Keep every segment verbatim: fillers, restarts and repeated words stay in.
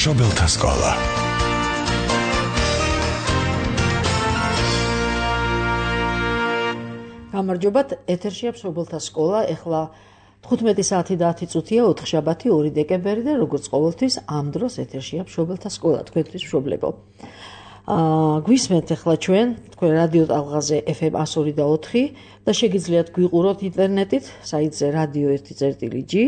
მშობელთა სკოლა. გამარჯობათ, ეთერშია მშობელთა სკოლა. ეხლა თხუთმეტი საათი და ათი წუთია, ოთხშაბათი, ორი დეკემბერი და როგორც ყოველთვის ამ დროს ეთერშია მშობელთა სკოლა, თქვენთვის მშობლებო. აა გვისმენთ ახლა ჩვენ, თქვენ რადიო ტალღაზე ეფ ემ εκατო ორი და ოთხი და შეგიძლიათ გვიყუროთ ინტერნეტით, საიტზე რადიო ერთი წერტილი ჯი.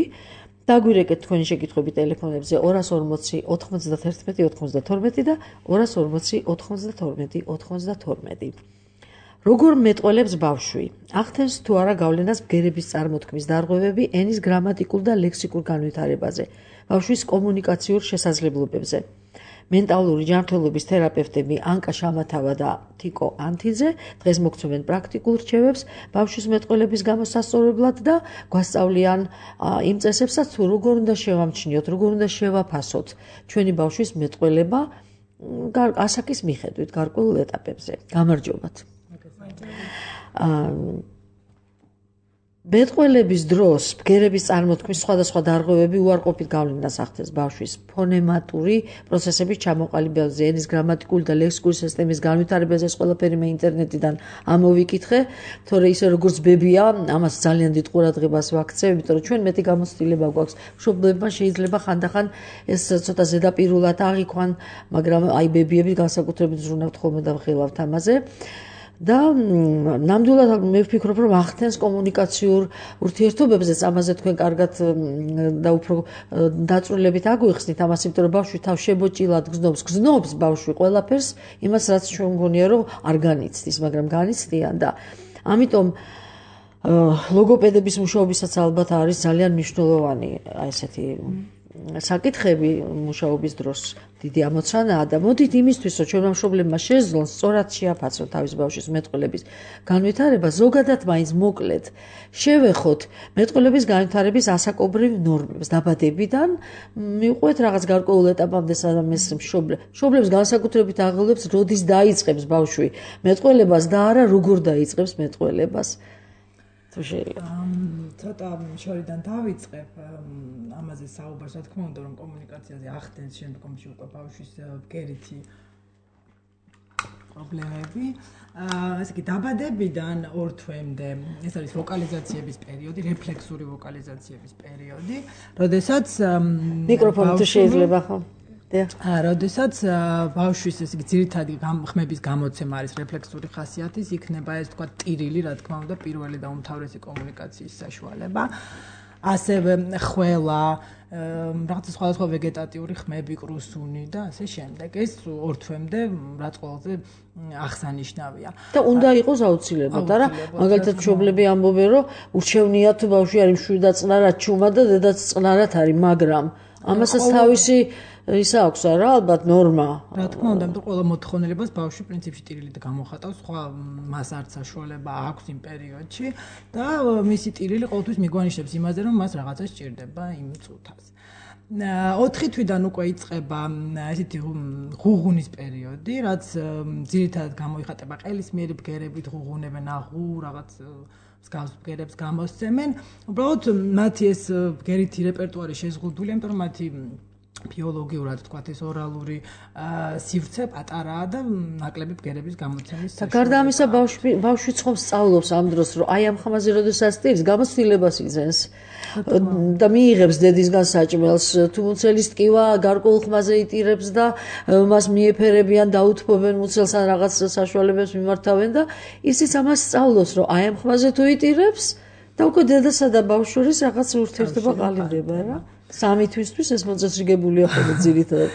დაგვირეკეთ თქვენი შეკითხვები ტელეფონებზე ორას ორმოცი ოთხმოცდათერთმეტი ოთხმოცდათორმეტი და ორას ორმოცი ოთხმოცდათორმეტი ოთხმოცდათორმეტი. როგორ მეტყველებს ბავშვი? ახდენს თუ არა გავლენას ბგერების წარმოთქმის დარღვევები ენის გრამატიკულ და ლექსიკურ განვითარებაზე, ბავშვის კომუნიკაციურ შესაძლებლობებზე. მენტალური ჯანმრთელობის თერაპევტები ანკა შამათავა და თიკო ანთიძე დღეს მოგცემენ პრაქტიკულ რჩევებს ბავშვის მეტყველების გამოსასწორებლად და გვასწავლიან იმ წესებსაც, თუ როგორ უნდა შევამჩნიოთ, როგორ უნდა შევაფასოთ ჩვენი ბავშვის მეტყველება ასაკის მიხედვით გარკვეულ ეტაპებზე. გამარჯობათ. მეტყველების დროს ბგერების წარმოთქმის სხვადასხვა დარღვევები უარყოფით გავლენას ახდენს ბავშვის ფონემატური პროცესების ჩამოყალიბებაზე, ენის გრამატიკული და ლექსიკური სისტემის განვითარებაზე. ეს ყველაფერი მე ინტერნეტიდან ამოვიკითხე, თორე ისე როგორც ბებია, ამას ძალიან დიდ ყურადღებას ვაქცევ, იმიტომ რომ ჩვენ მეტი გამოცდილება გვაქვს. მშობლებმა შეიძლება ხანდახან ეს ცოტა ზედაპირულად აღიქვან, მაგრამ აი ბებიები განსაკუთრებით ზრუნავთ ხოლმე და ვხილავთ ამაზე. და ნამდვილად მე ვფიქრობ, რომ ახდენს კომუნიკაციურ ურთიერთობებზეც, ამაზე თქვენ კარგად და უფრო დაწვრილებით აგვიხსნით ამას, იმიტომ რომ ბავშვი თავს შებოჭილად გზნობს, გზნობს ბავშვი ყველაფერს, იმას რაც ჩვენ მგონია, რომ არ განიცდის, მაგრამ განიცდიან და ამიტომ ლოგოპედების მუშაობისაც ალბათ არის ძალიან მნიშვნელოვანი აი ესეთი საკითხები მუშაობის დროს დიდი ამოცანაა და მოდით იმისთვის, რომ ჩვენმა მშობლებმა შეძლონ სწორად შეაფასონ თავის ბავშვის მეტყველების განვითარება, ზოგადად მაინც მოკლედ შევეხოთ მეტყველების განვითარების ასაკობრივ ნორმებს დაბადებიდან მივყვეთ რაღაც გარკვეულ ეტაპამდე, სადაც ეს მშობლებს განსაკუთრებით აღელვებს, როდის დაიწყებს ბავშვი მეტყველებას და არა როგორ დაიწყებს მეტყველებას. თუ შეიძლება ცოტა შორიდან დავიწყებ ამაზე საუბარს, რა თქმა უნდა, რომ კომუნიკაციაზე ახდენს შემდგომში უკვე ბავშვის ბგერითი პრობლემები. ესე იგი, დაბადებიდან ორ თვემდე ეს არის ვოკალიზაციების პერიოდი, რეფლექსური ვოკალიზაციების პერიოდი, როდესაც მიკროფონი თუ შეიძლება ხო? როდესაც ბავშვის ეს იგი ძირითადი ხმების გამოცემა არის რეფლექსური ხასიათის, იქნება ეს თქვა ტირილი, რა თქმა უნდა, პირველი და უმთავრესი კომუნიკაციის საშუალება. ასევე ხველა, რაღაცა სხვადასხვა ვეგეტატიური ხმები, კრუსუნი და ასე შემდეგ. ეს ორ თვემდე რაც ყველაზე აღსანიშნავია. და უნდა იყოს აუცილებლად, არა? მაგალითად მშობლები ამბობენ, რომ ურჩევნია თუ ბავშვი არის მშვიდად წყნარად ჩუმა და დედაც წყნარად არის, მაგრამ ამასაც თავისი ისა აქვს არა, ალბათ ნორმა. რა თქმა უნდა, იმიტომ ყველა მოთხოვნილებას ბავშვი პრინციპში ტირილით გამოხატავს, სხვა მას არც საშუალება აქვს იმ პერიოდში და მისი ტირილი ყოველთვის მიგვანიშნებს იმაზე, რომ მას რაღაცა სჭირდება იმ წუთას. ოთხი თვიდან უკვე იწყება ესეთი ღუღუნის პერიოდი, რაც ძირითადად გამოიხატება ყელისმიერი ბგერებით, ღუღუნებენ აღუ რაღაც მსგავს ბგერებს გამოსცემენ. უბრალოდ მათი ეს ბგერითი რეპერტუარი შეზღუდულია, იმიტომ რომ მათი ბიოლოგიურად თქვათ ეს ორალური სივრცე პატარაა და ნაკლები ბგერების გამოცემის და გარდა ამისა ბავშვი ბავშვი ცხობს სწავლობს ამ დროს, რომ აი ამ ხმაზე როდესაც ტირს, გამოცდილებას იძენს და მიიღებს დედისგან საჭმელს, თუ მუცელის ტკივა გარკვეულ ხმაზე იტირებს და მას მიეფერებიან, დაუთმობენ მუცელს ან რაღაც საშუალებებს მიმართავენ და ისიც ამას სწავლობს, რომ აი ამ ხმაზე თუ იტირებს და უკვე დედასა და ბავშვს შორის რაღაც ურთიერთობა ყალიბდება რა. სამი თვისთვის ეს მოწესრიგებულია ხოლმე ძირითადად.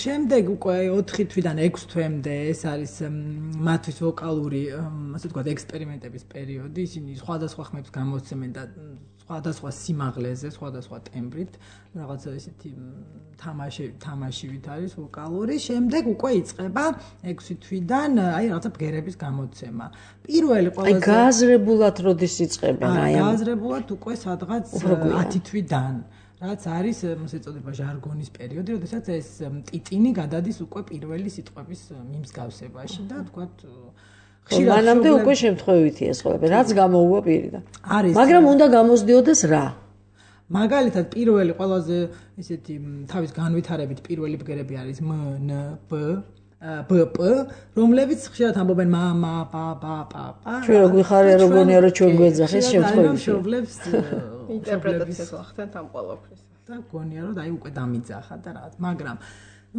შემდეგ უკვე ოთხი თვიდან ექვს თვემდე ეს არის მათთვის ვოკალური, ასე ვთქვათ, ექსპერიმენტების პერიოდი. ისინი სხვადასხვა ხმებს გამოსცემენ და სხვადასხვა სიმაღლეზე, სხვადასხვა ტემბრით, რაღაცა ესეთი თამაში თამაშივით არის ვოკალური. შემდეგ უკვე იწყება ექვსი თვიდან აი რაღაცა ბგერების გამოცემა. პირველი ყველაზე აი გააზრებულად როდის იწყებენ აი ამ გააზრებულად უკვე სადღაც ათი თვიდან. რაც არის ასე ეწოდება ჟარგონის პერიოდი, როდესაც ეს ტიტინი გადადის უკვე პირველი სიტყვების მიმსგავსებაში და თქვათ ხშირად მანამდე უკვე შემთხვევითია ეს ყველაფერი, რაც გამოუვა პირიდან. მაგრამ უნდა გამოსდიოდეს რა? მაგალითად პირველი ყველაზე ისეთი თავის განვითარებით პირველი ბგერები არის մ ն ბ ბ პ რომლებიც ხშირად ამბობენ მა მა პა პა პა პა ჩვენ რო გვიხარია რო გონია რომ ჩვენ გვეძახეს შემთხვევაში მშობლებს ინტერპრეტაციას ვახდენთ ამ ყველაფრის და გონია რომ აი უკვე დამიძახა და რაღაც მაგრამ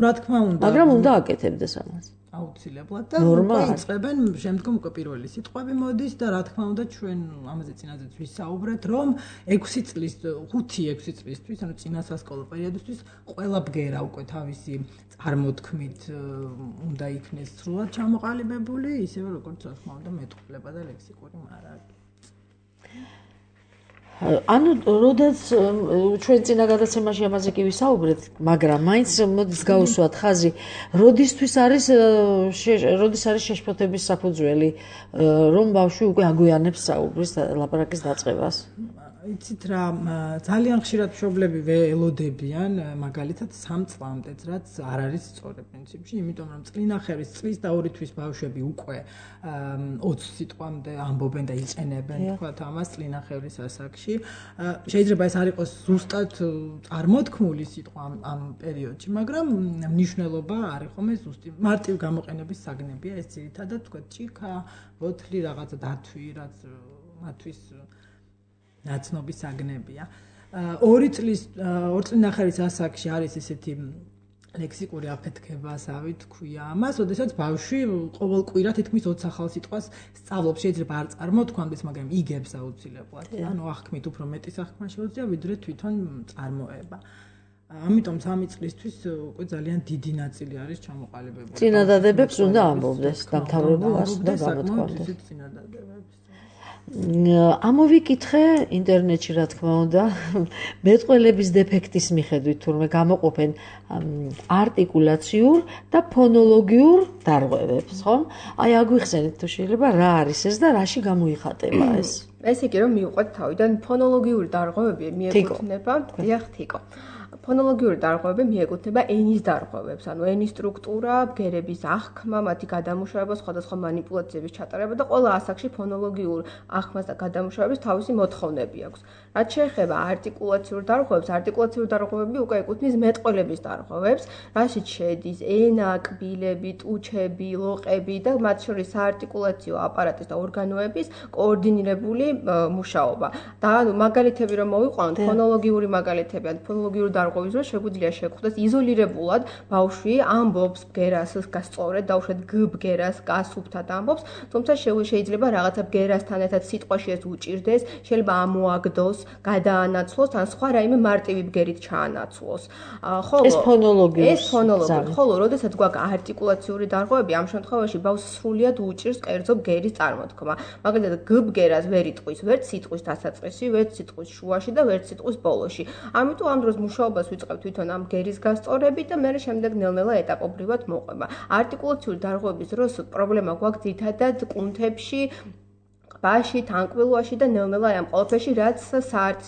რა თქმა უნდა მაგრამ უნდა აკეთებდეს ამას აუცილებლად და უკვე იწყებენ შემდგომ უკვე პირველი სიტყვები მოდის და რა თქმა უნდა ჩვენ ამაზე წინაზეც ვისაუბრეთ რომ ექვსი წლის ხუთი ექვსი წლისთვის ანუ წინა სასკოლო პერიოდისთვის ყველა ბგერა უკვე თავისი წარმოთქმით უნდა იქნეს სრულად ჩამოყალიბებული ისევე როგორც რა თქმა უნდა მეტყველება და ლექსიკური მარაგი ანუ როდესაც ჩვენ წინა გადაცემაში ამაზე კი ვისაუბრეთ, მაგრამ მაინც მოდის გავუსვათ ხაზი, როდისთვის არის როდის არის შეშფოთების საფუძველი, რომ ბავშვი უკვე აგვიანებს საუბრის ლაპარაკის დაწყებას. იცით რა, ძალიან ხშირად მშობლები ველოდებიან, მაგალითად სამ წლამდეც, რაც არ არის სწორი პრინციპში, იმიტომ რომ წლინახევრის წლის და ორი თვის ბავშვები უკვე ოცი სიტყვამდე ამბობენ და იყენებენ, თქვათ ამას წლინახევრის ასაკში. შეიძლება ეს არ იყოს ზუსტად წარმოთქმული სიტყვა ამ პერიოდში, მაგრამ მნიშვნელობა არ ხომ ეს ზუსტი მარტივ გამოყენების საგნებია ეს ძირითადად თქვათ ჭიქა, ბოთლი, რაღაცა დათვი, რაც მათთვის ნაცნობის საგნებია. ორი წლის ორი წლინახევრის ასაკში არის ესეთი ლექსიკური აფეთქება, ასავით ქვია ამას, ოდესაც ბავშვი ყოველ კვირა თითქმის ოცი ახალ სიტყვას სწავლობს, შეიძლება არ წარმოთქვამდეს, მაგრამ იგებს აუცილებლად. ანუ აღქმით უფრო მეტი საქმე შეუძლია, ვიდრე თვითონ წარმოება. ამიტომ სამი წლისთვის უკვე ძალიან დიდი ნაწილი არის ჩამოყალიბებული. წინადადებებს უნდა ამბობდეს, დამთავრებულას და გამოთქვამდეს. წინადადებებს ამოვიკითხე ინტერნეტში რა თქმა უნდა მეტყველების დეფექტის მიხედვით თურმე გამოყოფენ არტიკულაციურ და ფონოლოგიურ დარღვევებს, ხომ? აი აგვიხსენეთ თუ შეიძლება რა არის ეს და რაში გამოიხატება ეს? ესე იგი რომ მივყვეთ თავიდან ფონოლოგიური დარღვევები მიეკუთვნება, დიახ, თიკო. ფონოლოგიური დარღვევები მიეკუთვნება ენის დარღვევებს, ანუ ენის სტრუქტურა, ბგერების აღქმა, მათი გადამუშავება, სხვადასხვა манипуляციების ჩატარება და ყველა ასაკში ფონოლოგიურ აღქმას და გადამუშავების თავისი მოთხოვნები აქვს. რაც შეეხება არტიკულაციურ დარღვევებს, არტიკულაციურ დარღვევები უკვე ეკუთვნის მეტყველების დარღვევებს, რაშიც შედის ენა, კბილები, ტუჩები, ლოყები და მათ შორის საარტიკულაციო აპარატის და ორგანოების კოორდინირებული მუშაობა. და მაგალითები რომ მოვიყვანოთ, ფონოლოგიური მაგალითები, ან ფონოლოგიური დარღვევის დროს შეგვიძლია შეგხვდეს იზოლირებულად ბავშვი ამბობს ბგერას გასწორედ, დაუშვათ გ ბგერას გასუფთად ამბობს, თუმცა შეიძლება რაღაცა ბგერასთან ერთად სიტყვაში ეს უჭირდეს, შეიძლება ამოაგდოს, გადაანაცვლოს, ან სხვა რაიმე მარტივი ბგერით ჩაანაცვლოს. ხოლო ეს ფონოლოგია. ეს ფონოლოგია. ხოლო როდესაც გვაქვს არტიკულაციური დარღვევები, ამ შემთხვევაში ბავშვს სრულიად უჭირს კერძო ბგერის წარმოთქმა. მაგალითად, გ ბგერას ვერ იტყვის, ვერც სიტყვის დასაწყისში, ვერც სიტყვის შუაში და ვერც სიტყვის ბოლოში. ამიტომ ამ დროს მუშაობას ვიწყებთ თვითონ ამ ბგერის გასწორებით და მე შემდეგ ნელ-ნელა ეტაპობრივად მოყვება. არტიკულაციური დარღვევების დროს პრობლემა გვაქვს ძირითადად კუნთებში, ყბაში, თანკბილვაში და ნელ-ნელა ამ ყველაფერში, რაც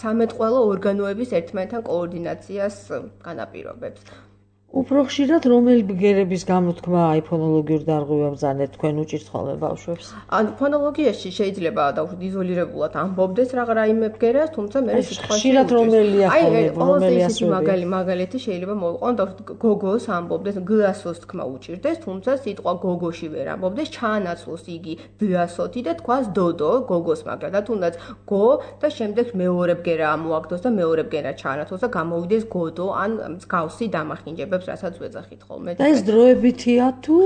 სამეტყველო ორგანოების ერთმანეთთან კოორდინაციას განაპირობებს. უფრო ხშირად რომელი ბგერების გამოთქმა აი ფონოლოგიურ დარღვევებს ბრძანეთ თქვენ უჭირთ ხოლმე ბავშვებს? ან ფონოლოგიაში შეიძლება დაუშვით იზოლირებულად ამბობდეს რაღა რაიმე ბგერას, თუმცა მე სიტყვაში ხშირად რომელია ხოლმე, რომელი ასეთი მაგალი მაგალითი შეიძლება მოვიყვანოთ, დაუშვით გოგოს ამბობდეს, გ-ასოს თქმა უჭირდეს, თუმცა სიტყვა გოგოში ვერ ამბობდეს, ჩაანაცვლოს იგი д-ასოთი და თქვას დოდო გოგოს მაგრა და თუნდაც გო და შემდეგ მეორე ბგერა ამოაგდოს და მეორე ბგერა ჩაანაცვლოს და გამოვიდეს გოდო ან მსგავსი დამახინჯებები რასაც ვეძახით ხოლმე. და ეს დროებითია თუ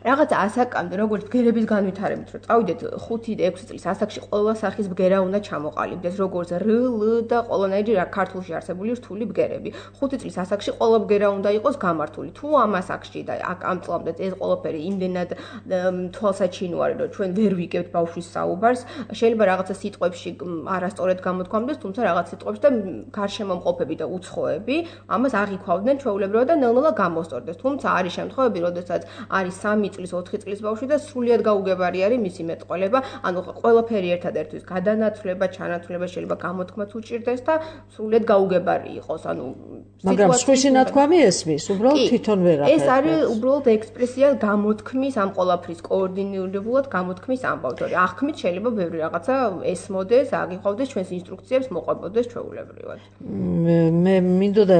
რაღაცა ასაკამდე, როგორც ბგერების განვითარებით, რომ წავიდეთ ხუთი ექვსი წლის ასაკში ყველა სახის ბგერა უნდა ჩამოყალიბდეს, როგორც რ, ლ და ყველანაირი რა ქართულში არსებული რთული ბგერები. ხუთი წლის ასაკში ყველა ბგერა უნდა იყოს გამართული. თუ ამ ასაკში და აქ ამ წლამდე ეს ყველაფერი იმდენად თვალსაჩინოა, რომ ჩვენ ვერ ვიგებთ ბავშვის საუბარს, შეიძლება რაღაცა სიტყვებში არასწორად გამოთქვამდეს, თუმცა რაღაც სიტყვებში და გარშემომყოფები და უცხოები ამას აღიქვავდნენ ჩვეულებრივად და ნელ-ნელა ნელ-ნელა გამოსწორდეს. თუმცა არის შემთხვევები, როდესაც არის სამი წლის, ოთხი წლის ბავშვი და სრულიად გაუგებარი არის მისი მეტყველება, ანუ ყველაფერი ერთადერთთვის გადანაცვლება, ჩანაცვლება შეიძლება გამოთქმაც უჭირდეს და სრულიად გაუგებარი იყოს. ანუ მაგრამ სხვისი ნათქვამი ესმის, უბრალოდ თვითონ ვერ ახერხებს. ეს არის უბრალოდ ექსპრესია გამოთქმის ამ ყოლაფრის კოორდინირებულად გამოთქმის ამბავი. აღქმით შეიძლება ბევრი რაღაცა ესმოდეს, აგიყვავდეს ჩვენს ინსტრუქციებს, მოყვებოდეს ჩვეულებრივად. მე მინდოდა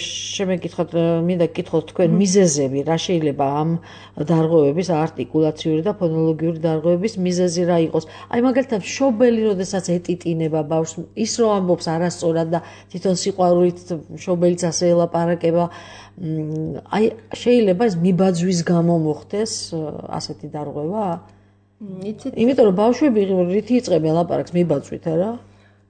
შემეკითხოთ, მინდა გკითხოთ თქვენ მიზეზები, რა შეიძლება ამ დარღვევების არტიკულაციური და ფონოლოგიური დარღვევების მიზეზი რა იყოს? აი მაგალითად მშობელი, როდესაც ეტიტინება ბავშვს, ის რომ ამბობს არასწორად და თვითონ სიყვარულით მშობელიც ასე ელაპარაკება, აი შეიძლება ეს მიბაძვის გამო მოხდეს ასეთი დარღვევა? იცით, იმიტომ რომ ბავშვები რითი იწყებენ ლაპარაკს მიბაძვით, არა?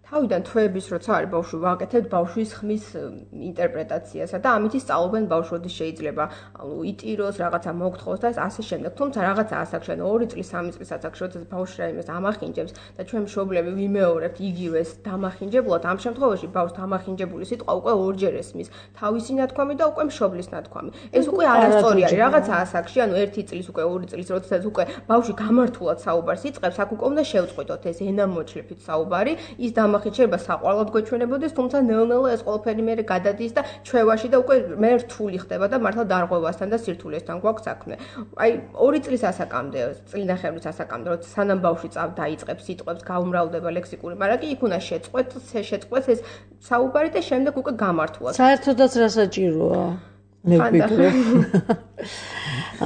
თავიდან თვეების როცა არის ბავშვი, ვაკეთებთ ბავშვის ხმის ინტერპრეტაციასა და ამით ისწავლობენ ბავშვოდის შეიძლება ანუ იტიროს, რაღაცა მოგთხოვს და ასე შემდეგ. თუმცა რაღაცა ასაკში, ანუ ორი წლის, სამი წლის ასაკში, როდესაც ბავშვი რაიმეს ამახინჯებს და ჩვენ მშობლები ვიმეორებთ იგივეს დამახინჯებლად, ამ შემთხვევაში ბავშვს დამახინჯებული სიტყვა უკვე ორჯერ ესმის თავისი ნათქვამი და უკვე მშობლის ნათქვამი. ეს უკვე არასწორი არის, რაღაცა ასაკში, ანუ ერთი წლის უკვე ორი წლის, როდესაც უკვე ბავშვი გამართულად საუბარს იწყებს, აქ უკვე უნდა შევწყვიტოთ ეს ენამოჩლებით საუბარი, ის დამახინჯება შეიძლება საყვარლად გვეჩვენებოდეს, თუმცა ნელ-ნელა ეს ყველაფერი მე გადადის და ჩვევაში და უკვე მე რთული ხდება და მართლა დარღვევასთან და სირთულესთან გვაქვს საქმე. აი ორი წლის ასაკამდე, წლინახევრის ასაკამდე, როცა სანამ ბავშვი წავ დაიწყებს სიტყვებს, გაუმრავლდება ლექსიკური მარაკი, იქ უნდა შეწყვეტ, შეწყვეტს ეს საუბარი და შემდეგ უკვე გამართულად. საერთოდაც რა საჭიროა? მე ვფიქრობ.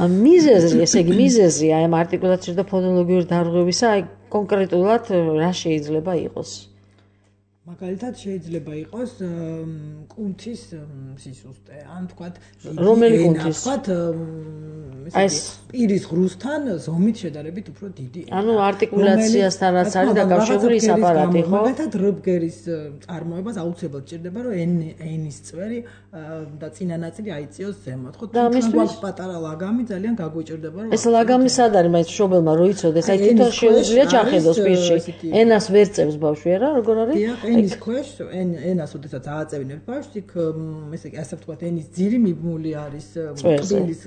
მიზეზი, ესე იგი მიზეზი აი ამ არტიკულაციური და ფონოლოგიური დარღვევისა, აი კონკრეტულად რა შეიძლება იყოს? მაგალითად შეიძლება იყოს კუნთის სისუსტე, ან თქვათ რომელი კუნთის? თქვათ ეს პირის ღრუსთან ზომით შედარებით უფრო დიდი. ანუ არტიკულაციასთან რაც არის დაკავშირებული ის აპარატი, ხო? მაგალითად რბგერის წარმოებას აუცილებლად ჭირდება, რომ ენის წვერი და წინა ნაწილი აიწიოს ზემოთ, ხო? თუმცა პატარა ლაგამი ძალიან გაგვიჭირდება, რომ ეს ლაგამი სად არის, მაინც მშობელმა რო იცოდეს, აი თვითონ შეუძლია ჩახედოს პირში. ენას ვერ წევს ბავშვი, არა? როგორ არის? ენის ქვეშ, ენას ოდესაც ააწევინებს ბავშვს, იქ ესე იგი ასე ვთქვათ, ენის ძირი მიბმული არის კბილის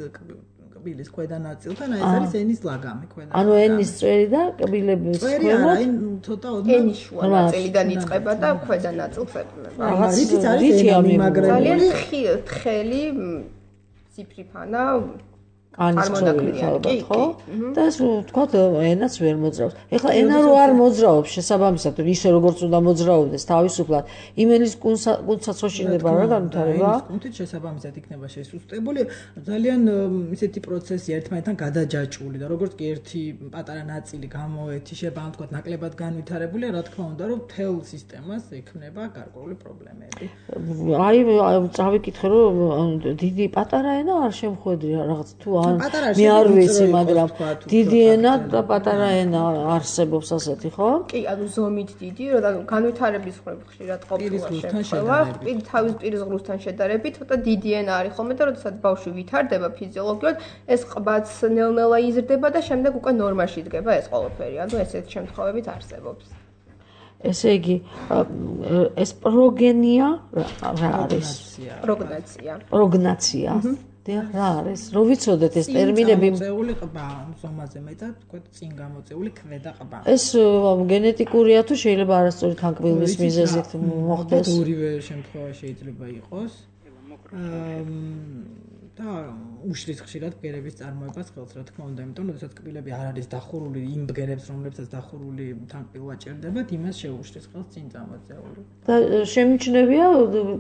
კბილის ქვედა ნაწილთან, აი ეს არის ენის ლაგამი ქვედა. ანუ ენის წვერი და კბილების ქვედა, აი ცოტა ოდნავ ენის შუა ნაწილიდან იწყება და ქვედა ნაწილს ეყრდნობა. აი რითიც არის ენი მაგრებული. ძალიან თხელი ციფრიფანა ანისწორებით ალბათ, ხო? და ეს ვთქვათ, ენაც ვერ მოძრაობს. ეხლა ენა რო არ მოძრაობს, შესაბამისად, ისე როგორც უნდა მოძრაობდეს თავისუფლად, იმ ენის კუნთსაც ხო შეიძლება რა განვითარება? ენის კუნთით შესაბამისად იქნება შესუსტებული, ძალიან ისეთი პროცესი ერთმანეთთან გადაჯაჭვული და როგორც კი ერთი პატარა ნაწილი გამოეთიშება, ან ვთქვათ, ნაკლებად განვითარებულია, რა თქმა უნდა, რომ მთელ სისტემას ექმნება გარკვეული პრობლემები. აი, წავიკითხე, რომ დიდი პატარა ენა არ შემხვედრი რაღაც თუ მე არ ვიცი, მაგრამ დიდი ენა და პატარა ენა არსებობს ასეთი, ხო? კი, ანუ ზომით დიდი, რომ განვითარების მხრივ ხშირად ყოფილა შემთხვევა, თავის პირის ღრუსთან შედარებით, ცოტა დიდი ენა არის ხოლმე და როდესაც ბავშვი ვითარდება ფიზიოლოგიურად, ეს ყბაც ნელ-ნელა იზრდება და შემდეგ უკვე ნორმაში იდგება ეს ყველაფერი. ანუ ესეთ შემთხვევებით არსებობს. ესე იგი, ეს პროგენია რა არის? პროგნაცია. პროგნაცია. რა არის? რო ვიცოდეთ ეს ტერმინები მოწეული ყბა, ზომაზე მეტად, თქვა წინ გამოწეული ქვედა ყბა. ეს გენეტიკურია თუ შეიძლება არასწორი თანკბილის მიზეზით მოხდეს? ორივე შემთხვევა შეიძლება იყოს. და უშლის ხშირად ბგერების წარმოებას ხელს, რა თქმა უნდა, იმიტომ რომ შესაძ კბილები არ არის დახურული იმ ბგერებს, რომლებსაც დახურული თანკბილვა ჭირდებათ, იმას შეუშლის ხელს წინ წამოწეული. და შემიჩნევია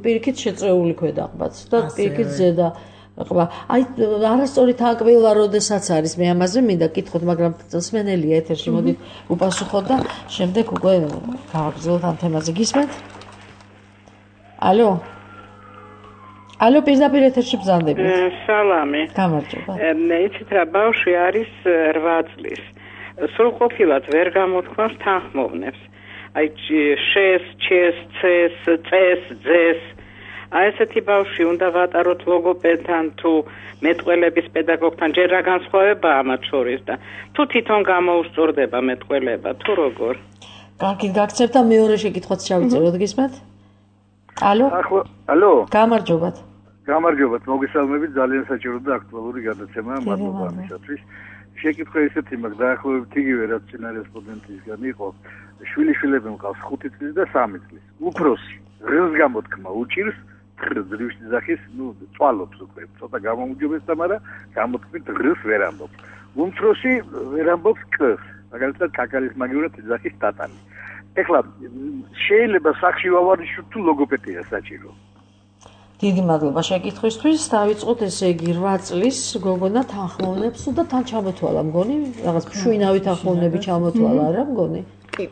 პირიქით შეწეული ქვედა ყბაც და პირიქით ზედა ყბა. აი არასწორი თანკბილვა როდესაც არის, მე ამაზე მინდა გკითხოთ, მაგრამ მსმენელია ეთერში, მოდით უპასუხოთ და შემდეგ უკვე გავაგრძელოთ ამ თემაზე. გისმენთ? ალო? ალო, პირდაპირ ეთერში ბრძანდებით. სალამი. გამარჯობა. იცით რა, ბავშვი არის რვა წლის. სრულყოფილად ვერ გამოთქვამს თანხმოვნებს. აი შეს, ჩეს, წეს, წეს, ძეს. აი ესეთი ბავშვი უნდა ვატაროთ ლოგოპედთან თუ მეტყველების პედაგოგთან, ჯერ რა განსხვავებაა მათ შორის და თუ თვითონ გამოუსწორდება მეტყველება თუ როგორ? კარგი, გაგცემთ და მეორე შეკითხვაც ჩავიწეროთ, გისმენთ? ალო? ალო? გამარჯობათ. გამარჯობათ, მოგესალმებით, ძალიან საჭირო და აქტუალური გადაცემაა, მადლობა ამისათვის. შეკითხვა ისეთი მაქვს, დაახლოებით იგივე რაც წინა რესპონდენტისგან იყო. შვილიშვილები მყავს ხუთი წლის და სამი წლის. უფროსი ღრს გამოთქმა უჭირს ძლივში ძახის, ну, წვალობს უკვე, ცოტა გამოუჯობეს და მაგრამ გამოთქმით ღრს ვერ ამბობს. უმცროსი ვერ ამბობს კს, მაგალითად კაკალის მაგივრად ძახის ტატანი. ეხლა შეიძლება სახში ვავარჯიშოთ თუ ლოგოპედია საჭირო. დიდი მადლობა შეკითხვისთვის. დავიწყოთ ესე იგი რვა წლის გოგონა თანხმოვნებს და თან ჩამოთვალა მგონი, რაღაც შვინავი თანხმოვნები ჩამოთვალა არა მგონი? კი.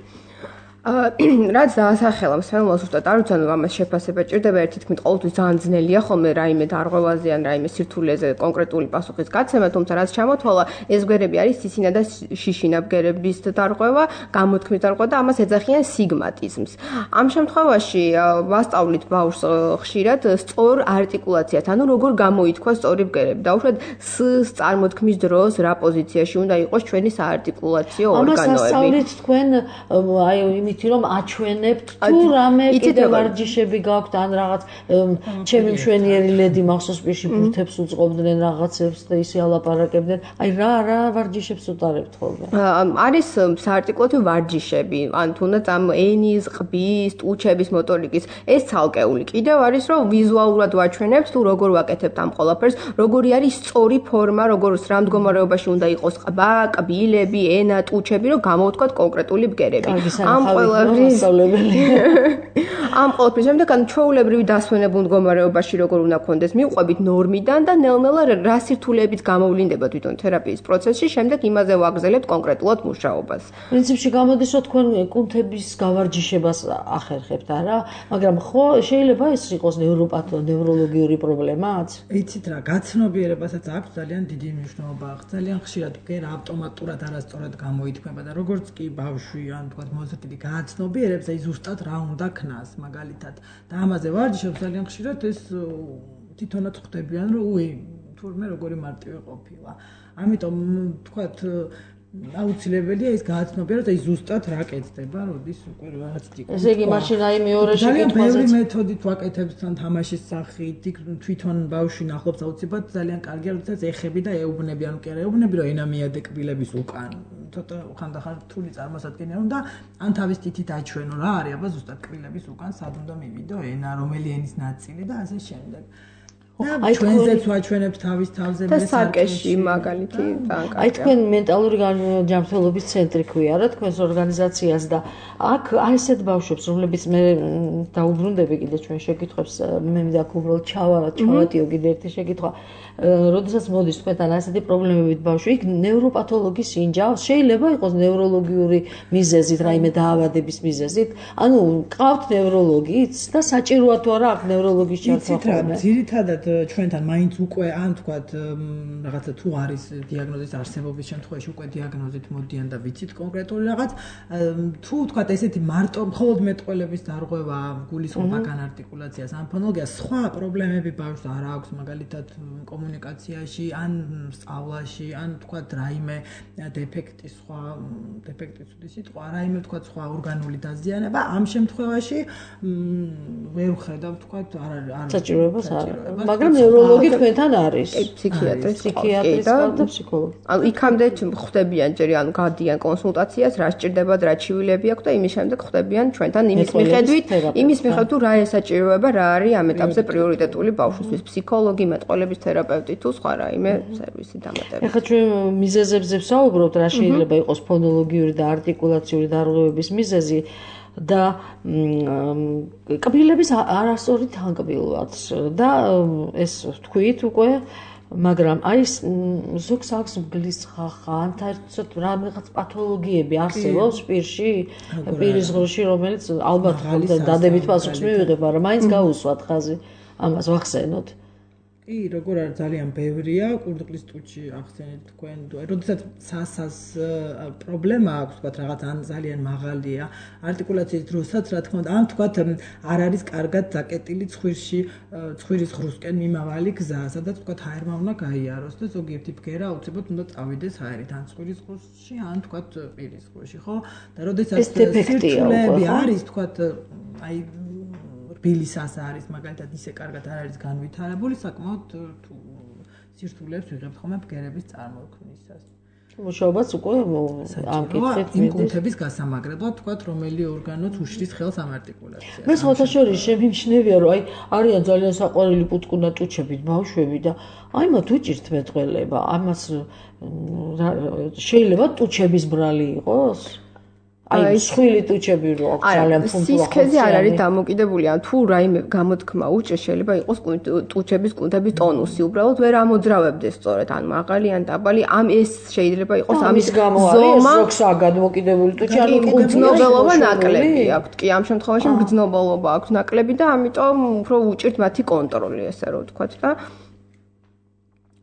რაც დაასახელა მსმენელს უბრალოდ არ ვიცი, ანუ ამას შეფასება ჭირდება, ერთ თქმით ყოველთვის ძალიან ძნელია ხოლმე რაიმე დარღვევაზე ან რაიმე სირთულეზე კონკრეტული პასუხის გაცემა, თუმცა რაც ჩამოთვალა, ეს ბგერები არის სისინა და შიშინა ბგერების დარღვევა, გამოთქმის დარღვევა და ამას ეძახიან სიგმატიზმს. ამ შემთხვევაში ვასწავლით ბავშვს ხშირად სწორ არტიკულაციას, ანუ როგორ გამოითქვა სწორი ბგერები. დაუშვათ s-ს წარმოთქმის დროს რა პოზიციაში უნდა იყოს ჩვენი საარტიკულაციო ორგანოები. ამას ასწავლით თქვენ აი ითი რომ აჩვენებთ თუ რამე კიდე ვარჯიშები გაქვთ ან რაღაც ჩემი მშვენიერი ლედი მახსოვს პირში ბურთებს უწყობდნენ რაღაცებს და ისე ალაპარაკებდნენ აი რა რა ვარჯიშებს უტარებთ ხოლმე არის საარტიკულაციო ვარჯიშები ან თუნდაც ამ ენის ყბის ტუჩების მოტორიკის ეს ცალკეული კიდევ არის რომ ვიზუალურად ვაჩვენებთ თუ როგორ ვაკეთებთ ამ ყველაფერს როგორი არის სწორი ფორმა როგორ რა მდგომარეობაში უნდა იყოს ყბა კბილები ენა ტუჩები რომ გამოვთქვათ კონკრეტული ბგერები ამ ამ ყოველთვის შემდეგ ან ჩვეულებრივი დასვენებულ მდგომარეობაში როგორ უნდა გქონდეს მივყვებით ნორმიდან და ნელ-ნელა რა სირთულეებით გამოვლინდება თვითონ თერაპიის პროცესში შემდეგ იმაზე ვაგრძელებთ კონკრეტულად მუშაობას. პრინციპში გამოდის რომ თქვენ კუნთების გავარჯიშებას ახერხებთ არა მაგრამ ხო შეიძლება ეს იყოს ნევროპათო ნევროლოგიური პრობლემაც? იცით რა გაცნობიერებასაც აქვს ძალიან დიდი მნიშვნელობა აქვს ძალიან ხშირად ბგერა ავტომატურად არასწორად გამოითქმება და როგორც კი ბავშვი ან თქვა მოზრდილი გააცნობიერებს აი ზუსტად რა უნდა ქნას მაგალითად და ამაზე ვარჯიშობს ძალიან ხშირად ეს თვითონაც ხვდებიან რომ უი თურმე როგორი მარტივი ყოფილა ამიტომ თქვათ აუცილებელია ის გააცნობიეროს აი ზუსტად რა კეთდება როდის უკვე რაღაც ტიპი ესე იგი მაშინ აი მეორე შეკითხვაზე ძალიან ბევრი მეთოდით ვაკეთებთ თან თამაშის სახით თვითონ ბავშვი ნახობს აუცილებლად ძალიან კარგია როდესაც ეხები და ეუბნები ანუ კი არა ეუბნები რომ ენა მიადე კბილების უკან ცოტა ხანდახან რთული წარმოსადგენია უნდა ან თავის თითით აჩვენო რა არის აბა ზუსტად კბილების უკან სად უნდა მივიდო ენა რომელი ენის ნაწილი და ასე შემდეგ აი ჩვენზეც ვაჩვენებთ თავის თავზე მე საკეში მაგალითი ტანკა აი თქვენ მენტალური ჯანმრთელობის ცენტრი ქვია რა თქვენს ორგანიზაციას და აქ აი ესეთ ბავშვებს რომლებიც მე დაუბრუნდები კიდე ჩვენ შეკითხვებს მე მინდა უბრალოდ ჩავა ჩავატიო კიდე ერთი შეკითხვა როდესაც მოდის თქვენთან ასეთი პრობლემებით ბავშვი იქ ნევროპათოლოგის ინჯავს შეიძლება იყოს ნევროლოგიური მიზეზით რაიმე დაავადების მიზეზით ანუ ყავთ ნევროლოგიც და საჭიროა თუ არა აქ ნევროლოგის ჩართვა ძირითადად ჩვენთან მაინც უკვე ან თქვათ რაღაცა თუ არის დიაგნოზის არსებობის შემთხვევაში უკვე დიაგნოზით მოდიან და ვიცით კონკრეტული რაღაც თუ თქვათ ესეთი მარტო მხოლოდ მეტყველების დარღვევა გულისხმობა განარტიკულაციას ან ფონოლოგია სხვა პრობლემები ბავშვს არ აქვს მაგალითად კომუნიკაციაში ან სწავლაში ან თქვათ რაიმე დეფექტი სხვა დეფექტი თუდი სიტყვა რაიმე თქვათ სხვა ორგანული დაზიანება ამ შემთხვევაში ვერ ვხედავ თქვათ არ არ საჭიროებას არ მაგრამ ნევროლოგი თქვენთან არის ფსიქიატრი ფსიქიატრი და ფსიქოლოგი ანუ იქამდე ხვდებიან ჯერ ანუ გადიან კონსულტაციას რა სჭირდებათ რა ჩივილები აქვს და იმის შემდეგ ხვდებიან ჩვენთან იმის მიხედვით იმის მიხედვით თუ რა ესაჭიროება რა არის ამ ეტაპზე პრიორიტეტული ბავშვისთვის ფსიქოლოგი მეტყველების თერაპევტი თუ სხვა რაიმე სერვისი დამატება ეხლა ჩვენ მიზეზებზე ვსაუბრობთ რა შეიძლება იყოს ფონოლოგიური და არტიკულაციური დარღვევების მიზეზი და კბილების არასწორი თანკბილვაც და ეს თქვით უკვე მაგრამ აი ზოგს აქვს ბგლის ხახა ან თერთოდ რაღაც პათოლოგიები არსებობს პირში პირის ღრუში რომელიც ალბათ დადებით პასუხს მივიღებ მაგრამ მაინც გაუსვათ ხაზი ამას ვახსენოთ კი, როგორ არის ძალიან ბევრია, კურდღლის ტუჩი ახსენეთ თქვენ, როდესაც სასას პრობლემა აქვს, თქვათ რაღაც ან ძალიან მაღალია, არტიკულაციის დროსაც, რა თქმა უნდა, ან თქვათ არ არის კარგად დაკეტილი ცხვირში, ცხვირის ღრუსკენ მიმავალი გზა, სადაც თქვათ ჰაერმა უნდა გაიაროს და ზოგიერთი ბგერა აუცილებლად უნდა წავიდეს ჰაერით, ან ცხვირის ღრუსში, ან თქვათ პირის ღრუსში, ხო? და როდესაც სირთულეები არის, თქვათ, აი თბილის ას არის მაგალითად ისე კარგად არ არის განვითარებული, საკმაოდ თუ სირთულეებს ვიღებთ ხოლმე ბგერების წარმოქმნისას. მუშაობაც უკვე ამ კითხვით იმ კუნთების გასამაგრებლად თქვა, რომელი ორგანოც უშლის ხელს ამ არტიკულაციას. მე სხვათა შორის შემიმჩნევია, რომ აი არიან ძალიან საყვარელი პუტკუნა ტუჩებით ბავშვები და აი მათ უჭირთ მეტყველება. ამას შეიძლება ტუჩების ბრალი იყოს? აი სხვილი ტუჩები რო აქვს ძალიან ფუნქციონალური. სისქეზე არ არის დამოკიდებული, ან თუ რაიმე გამოთქმა უჭირს, შეიძლება იყოს ტუჩების კუნთების ტონუსი, უბრალოდ ვერ ამოძრავებდეს სწორედ, ან მაღალი, ან დაბალი, ამ ეს შეიძლება იყოს ამის ზომა. ზოგსაა გადმოკიდებული ტუჩი, ანუ გრძნობელობა ნაკლები აქვთ. კი, ამ შემთხვევაში გრძნობელობა აქვს ნაკლები და ამიტომ უფრო უჭირთ მათი კონტროლი, ესე რომ ვთქვათ და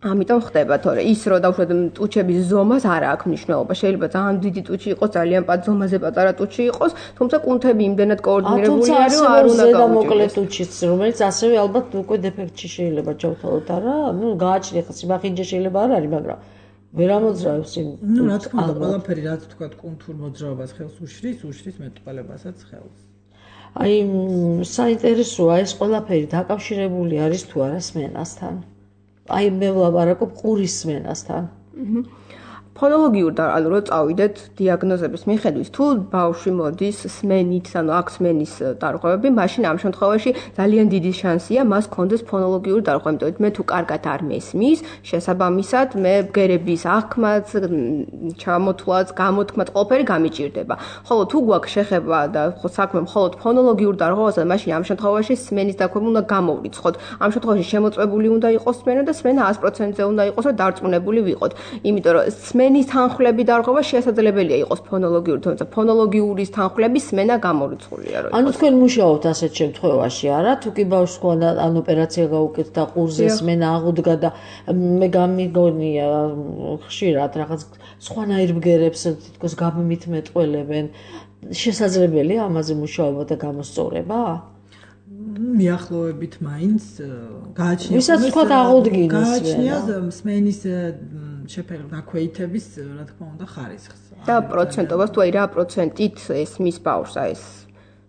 ამიტომ ხდება, თორე ის რო დავუშვათ ტუჩების ზომას არ აქვს მნიშვნელობა. შეიძლება ძალიან დიდი ტუჩი იყოს, ძალიან პატ ზომაზე პატარა ტუჩი იყოს, თუმცა კუნთები იმდენად კოორდინირებული არის, რომ არ უნდა გავუჭირდეს. მოკლე ტუჩიც, რომელიც ასევე ალბათ უკვე დეფექტში შეიძლება ჩავთვალოთ, არა? ნუ გააჩნია ხა სიმახინჯე შეიძლება არ არის, მაგრამ ვერ ამოძრავებს იმ. ნუ რა თქმა უნდა, ყველაფერი რაც ვთქვათ, კუნთურ მოძრაობას ხელს უშლის, უშლის მეტყველებასაც ხელს. აი საინტერესოა ეს ყველაფერი დაკავშირებული არის თუ არა სმენასთან. აი მე ვლაპარაკობ ყურის სმენასთან. ფონოლოგიურ და ანუ რო წავიდეთ დიაგნოზების მიხედვით, თუ ბავშვი მოდის სმენით, ანუ აქვს სმენის დარღვევები, მაშინ ამ შემთხვევაში ძალიან დიდი შანსია მას კონდეს ფონოლოგიური დარღვევა, იმიტომ მე თუ კარგად არ მესმის, შესაბამისად მე ბგერების აღქმაც, ჩამოთვლაც, გამოთქმაც ყველაფერი გამიჭირდება. ხოლო თუ გვაქვს შეხება და საქმე მხოლოდ ფონოლოგიურ დარღვევაზე, მაშინ ამ შემთხვევაში სმენის დარღვევა უნდა გამოვრიცხოთ. ამ შემთხვევაში შემოწმებული უნდა იყოს სმენა და სმენა ას პროცენტზე უნდა იყოს, რომ დარწმუნებული ვიყოთ. იმიტომ რომ სმენის თანხლები დარღვევა შესაძლებელია იყოს ფონოლოგიური, თუმცა ფონოლოგიურის თანხლების სმენა გამორიცხულია, რომ ანუ თქვენ მუშაობთ ასეთ შემთხვევაში, არა? თუ კი ბავშვს ხვალ ან ოპერაცია გაუკეთდა, ყურზე სმენა აღუდგა და მე გამიგონია ხშირად რაღაც სხვანაირ ბგერებს თითქოს გამიმით მეტყველებენ, შესაძლებელია ამაზე მუშაობა და გამოსწორება? მიახლოებით მაინც გააჩნია. ვისაც თქვა აღუდგინეს გააჩნია სმენის შეფერილ დაქვეითების, რა თქმა უნდა, ხარისხს. და პროცენტობას თუ აი რა პროცენტით ესმის ბავშვს ეს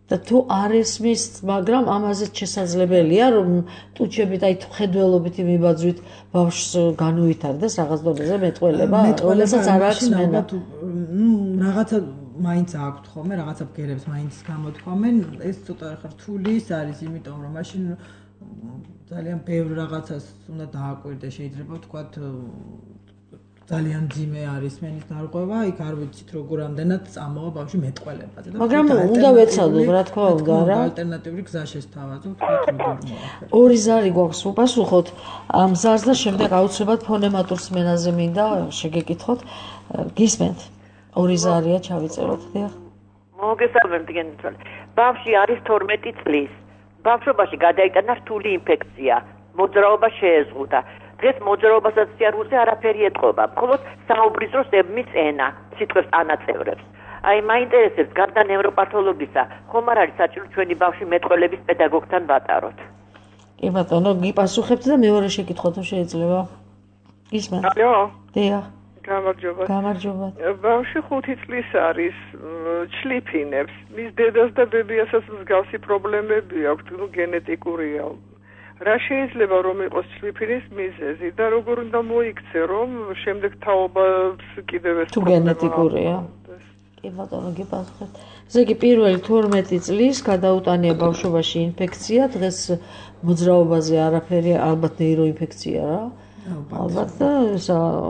და თუ არ ესმის, მაგრამ ამაზეც შესაძლებელია, რომ ტუჩებით აი ხედველობით მიბაძვით ბავშვს განუვითარდეს რაღაც დონეზე მეტყველება, რომელსაც არ აქვს სმენა. ნუ რაღაცა მაინც აქვთ ხოლმე, რაღაცა ბგერებს მაინც გამოთქვამენ, ეს ცოტა რთული ის არის, იმიტომ რომ მაშინ ძალიან ბევრ რაღაცას უნდა დააკვირდეს, შეიძლება ვთქვათ ძალიან ძიმე არის სმენის დარღვევა, იქ არ ვიცით როგორ ამდენად წამოვა ბავშვი მეტყველებაზე. მაგრამ უნდა ვეცადოთ, რა თქმა უნდა, რა. ალტერნატიული გზა შესთავაზოთ, ვთქვათ როგორ მოახერხოთ. ორი ზარი გვაქვს უპასუხოთ ამ ზარს და შემდეგ აუცილებლად ფონემატურ სმენაზე მინდა შეგეკითხოთ. გისმენთ? ორი ზარია ჩავიწეროთ, დიახ. მოგესალმებით, გენიცვალე. ბავშვი არის თორმეტი წლის. ბავშვობაში გადაიტანა რთული ინფექცია, მოძრაობა შეეზღუდა. დღეს მოძრაობასაც სიარულზე არაფერი ეტყობა, მხოლოდ საუბრის დროს ებმის ენა, სიტყვებს ანაწევრებს. აი, მაინტერესებს, გარდა ნევროპათოლოგისა, ხომ არ არის საჭირო ჩვენი ბავშვი მეტყველების პედაგოგთან ვატაროთ? კი ბატონო, გიპასუხებთ და მეორე შეკითხვა თუ შეიძლება. გისმენთ? ალო. დიახ. გამარჯობა. გამარჯობა. ბავშვი ხუთი წლის არის, ჩლიფინებს. მის დედას და ბებიასაც მსგავსი პრობლემები აქვს, ნუ გენეტიკურია. რა შეიძლება რომ იყოს ჩლიფინის მიზეზი და როგორ უნდა მოიქცე, რომ შემდეგ თაობას კიდევ ეს თუ გენეტიკურია? კი ბატონო, გიპასუხეთ. ესე იგი პირველი თორმეტი წლის გადაუტანია ბავშვობაში ინფექცია, დღეს მოძრაობაზე არაფერი, ალბათ ნეიროინფექცია რა. ალბათ და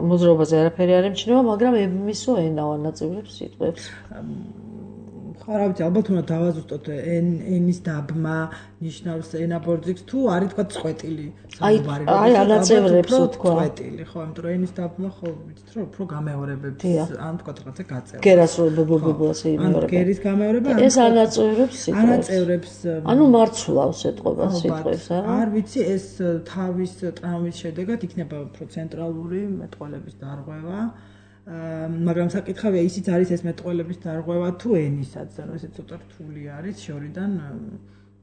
მოძრაობაზე არაფერი არ ემჩნევა, მაგრამ ებმისო ენა ანაწევრებს სიტყვებს. ხო, რა ვიცი, ალბათ უნდა დავაზუსტოთ ენის დაბმა ნიშნავს ენაბორძიგს თუ არის თქვა წყვეტილი საუბარი. აი, ანაწევრებს თქვა. წყვეტილი, ხო, იმიტომ რომ ენის დაბმა ხო ვიცით რომ უფრო გამეორებებს, ან თქვა რაღაცა გაწევა. გერას რო ბობობო ასე იმეორება. ან გერის გამეორება, ეს ანაწევრებს სიტყვებს. ანაწევრებს. ანუ მარცვლავს ეტყობა სიტყვებს, არა? არ ვიცი, ეს თავის ტრავმის შედეგად იქნება უფრო ცენტრალური მეტყველების დარღვევა. მაგრამ საკითხავია ისიც არის ეს მეტყველების დარღვევა თუ ენისაც, ანუ ესე ცოტა რთული არის შორიდან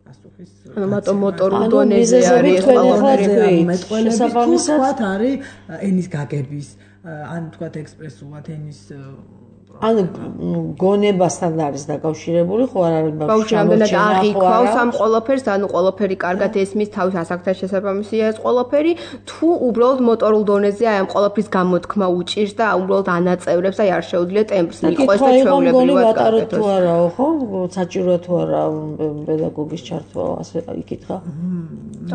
პასუხის. ანუ მარტო მოტორულ დონეზე არის ყველაფერი მეტყველების თუ თქვათ არის ენის გაგების, ან თქვათ ექსპრესულად ენის ანუ გონებასთან არის დაკავშირებული, ხო არ არის ბავშვი რამდენად აღიქვავს ამ ყველაფერს, ანუ ყველაფერი კარგად ესმის, თავის ასაკთან შესაბამისია ეს ყველაფერი, თუ უბრალოდ მოტორულ დონეზე აი ამ ყველაფრის გამოთქმა უჭირს და უბრალოდ ანაწევრებს, აი არ შეუძლია ტემპს მიყვეს და ჩვეულებრივად გაკეთოს. თუ არაო, ხო? საჭიროა თუ არა პედაგოგის ჩართვა, ასე იკითხა.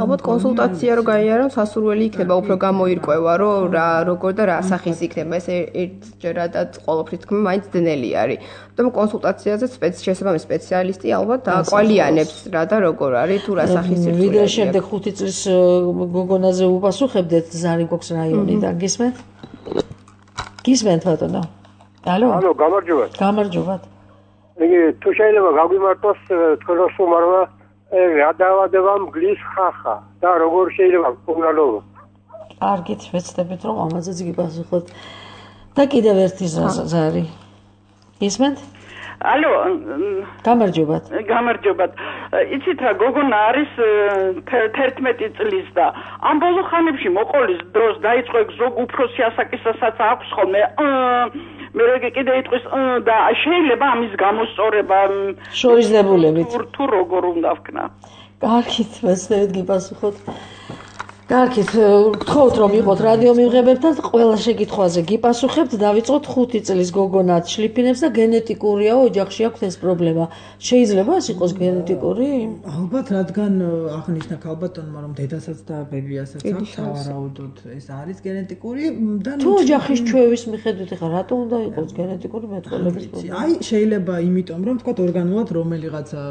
ალბათ კონსულტაცია რო გაიარო, სასურველი იქნება, უფრო გამოირკვევა, რომ რა როგორ და რა სახის იქნება ეს ერთჯერადად ყველაფრის თქმა მაინც დნელი არის. ამიტომ კონსულტაციაზე შესაბამის სპეციალისტი ალბათ დააკვალიანებს რა და როგორ არის, თუ რა სახის სირთულეა. ვიდრე შემდეგ ხუთი წლის გოგონაზე უპასუხებდეთ ზარი გვაქვს რაიონიდან, გისმენთ? გისმენთ ბატონო? ალო? ალო, გამარჯობათ. გამარჯობათ. იგი თუ შეიძლება გაგვიმართოს თქვენ მოსმარვა რა დაავადება მგლის ხახა და როგორ შეიძლება უნალობა. კარგით, ვეცდებით რომ ამაზეც გიპასუხოთ. და კიდევ ერთი ზარი. ისმენთ? ალო, გამარჯობათ. გამარჯობათ. იცით რა, გოგონა არის თერთმეტი წლის და ამ ბოლო ხანებში მოყოლის დროს დაიწყო ზოგ უფროსი ასაკისასაც აქვს ხოლმე მე როგი კიდე იტყვის და შეიძლება ამის გამოსწორება შორისდებულებით თუ როგორ უნდა ვქნა. კარგით, ვეცდებით გიპასუხოთ. კარგით, გთხოვთ რომ იყოთ რადიო მიღებებთან, ყველა შეკითხვაზე გიპასუხებთ, დავიწყოთ ხუთი წლის გოგონა შლიფინებს და გენეტიკურია ოჯახში აქვს ეს პრობლემა. შეიძლება ეს იყოს გენეტიკური? ალბათ, რადგან აღნიშნა ქალბატონმა რომ დედასაც და ბებიასაც აქვს, სავარაუდოდ ეს არის გენეტიკური და თუ ოჯახის ჩვევის მიხედვით ხა რატო უნდა იყოს გენეტიკური მეტყველების პრობლემა? აი, შეიძლება იმიტომ რომ თქვა ორგანულად რომელიღაცა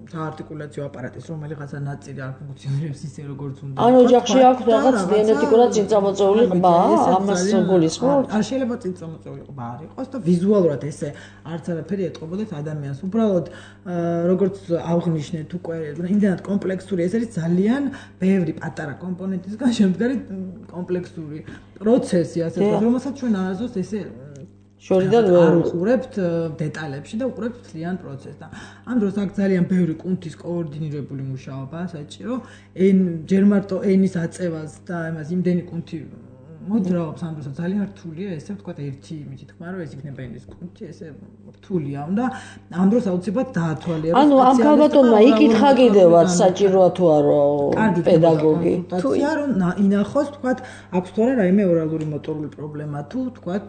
საარტიკულაციო აპარატის რომელიღაცა ნაწილი არ ფუნქციონირებს ისე როგორც უნდა. ანუ ოჯახში აქვს რაღაც გენეტიკურად წინწამოწეული ყბა, ამას გულისხმობ? არ შეიძლება წინწამოწეული ყბა არ იყოს და ვიზუალურად ესე არც არაფერი ეტყობოდეს ადამიანს. უბრალოდ როგორც აღნიშნეთ უკვე, იმდანად კომპლექსური, ეს არის ძალიან ბევრი პატარა კომპონენტისგან შემდგარი კომპლექსური პროცესი, ასე ვთქვათ, რომელსაც ჩვენ არასდროს ესე შორიდან არ უყურებთ დეტალებში და უყურებთ მთლიან პროცესს და ამ დროს აქ ძალიან ბევრი კუნთის კოორდინირებული მუშაობაა საჭირო. ენ ჯერ მარტო ენის აწევას და ამას იმდენი კუნთი მოძრაობს ამ დროსაც ძალიან რთულია ესე ვთქვათ ერთი იმით თქვა რომ ეს იქნება ენის კუნთი ესე რთულია და ამ დროს აუცილებლად დაათვალიეროს. ანუ ამ ქალბატონმა იკითხა კიდევაც საჭიროა თუ არა პედაგოგი თუ რომ ინახოს ვთქვათ აქვს თუ არა რაიმე ორალური მოტორული პრობლემა თუ ვთქვათ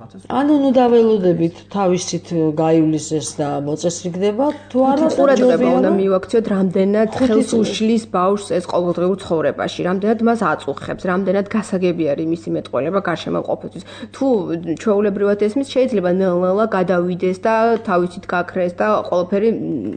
ანუ ნუ დაველოდებით თავისით გაივლისეს და მოწესრიგდება თუ არა ყურადღება უნდა მივაქციოთ რამდენად ხელს უშლის ბავშვს ეს ყოველდღიურ ცხოვრებაში, რამდენად მას აწუხებს, რამდენად გასაგები არის მისი მეტყველება გარშემოყოფისთვის. თუ ჩვეულებრივად ესმის შეიძლება ნელ-ნელა გადავიდეს და თავისით გაქრეს და ყველაფერი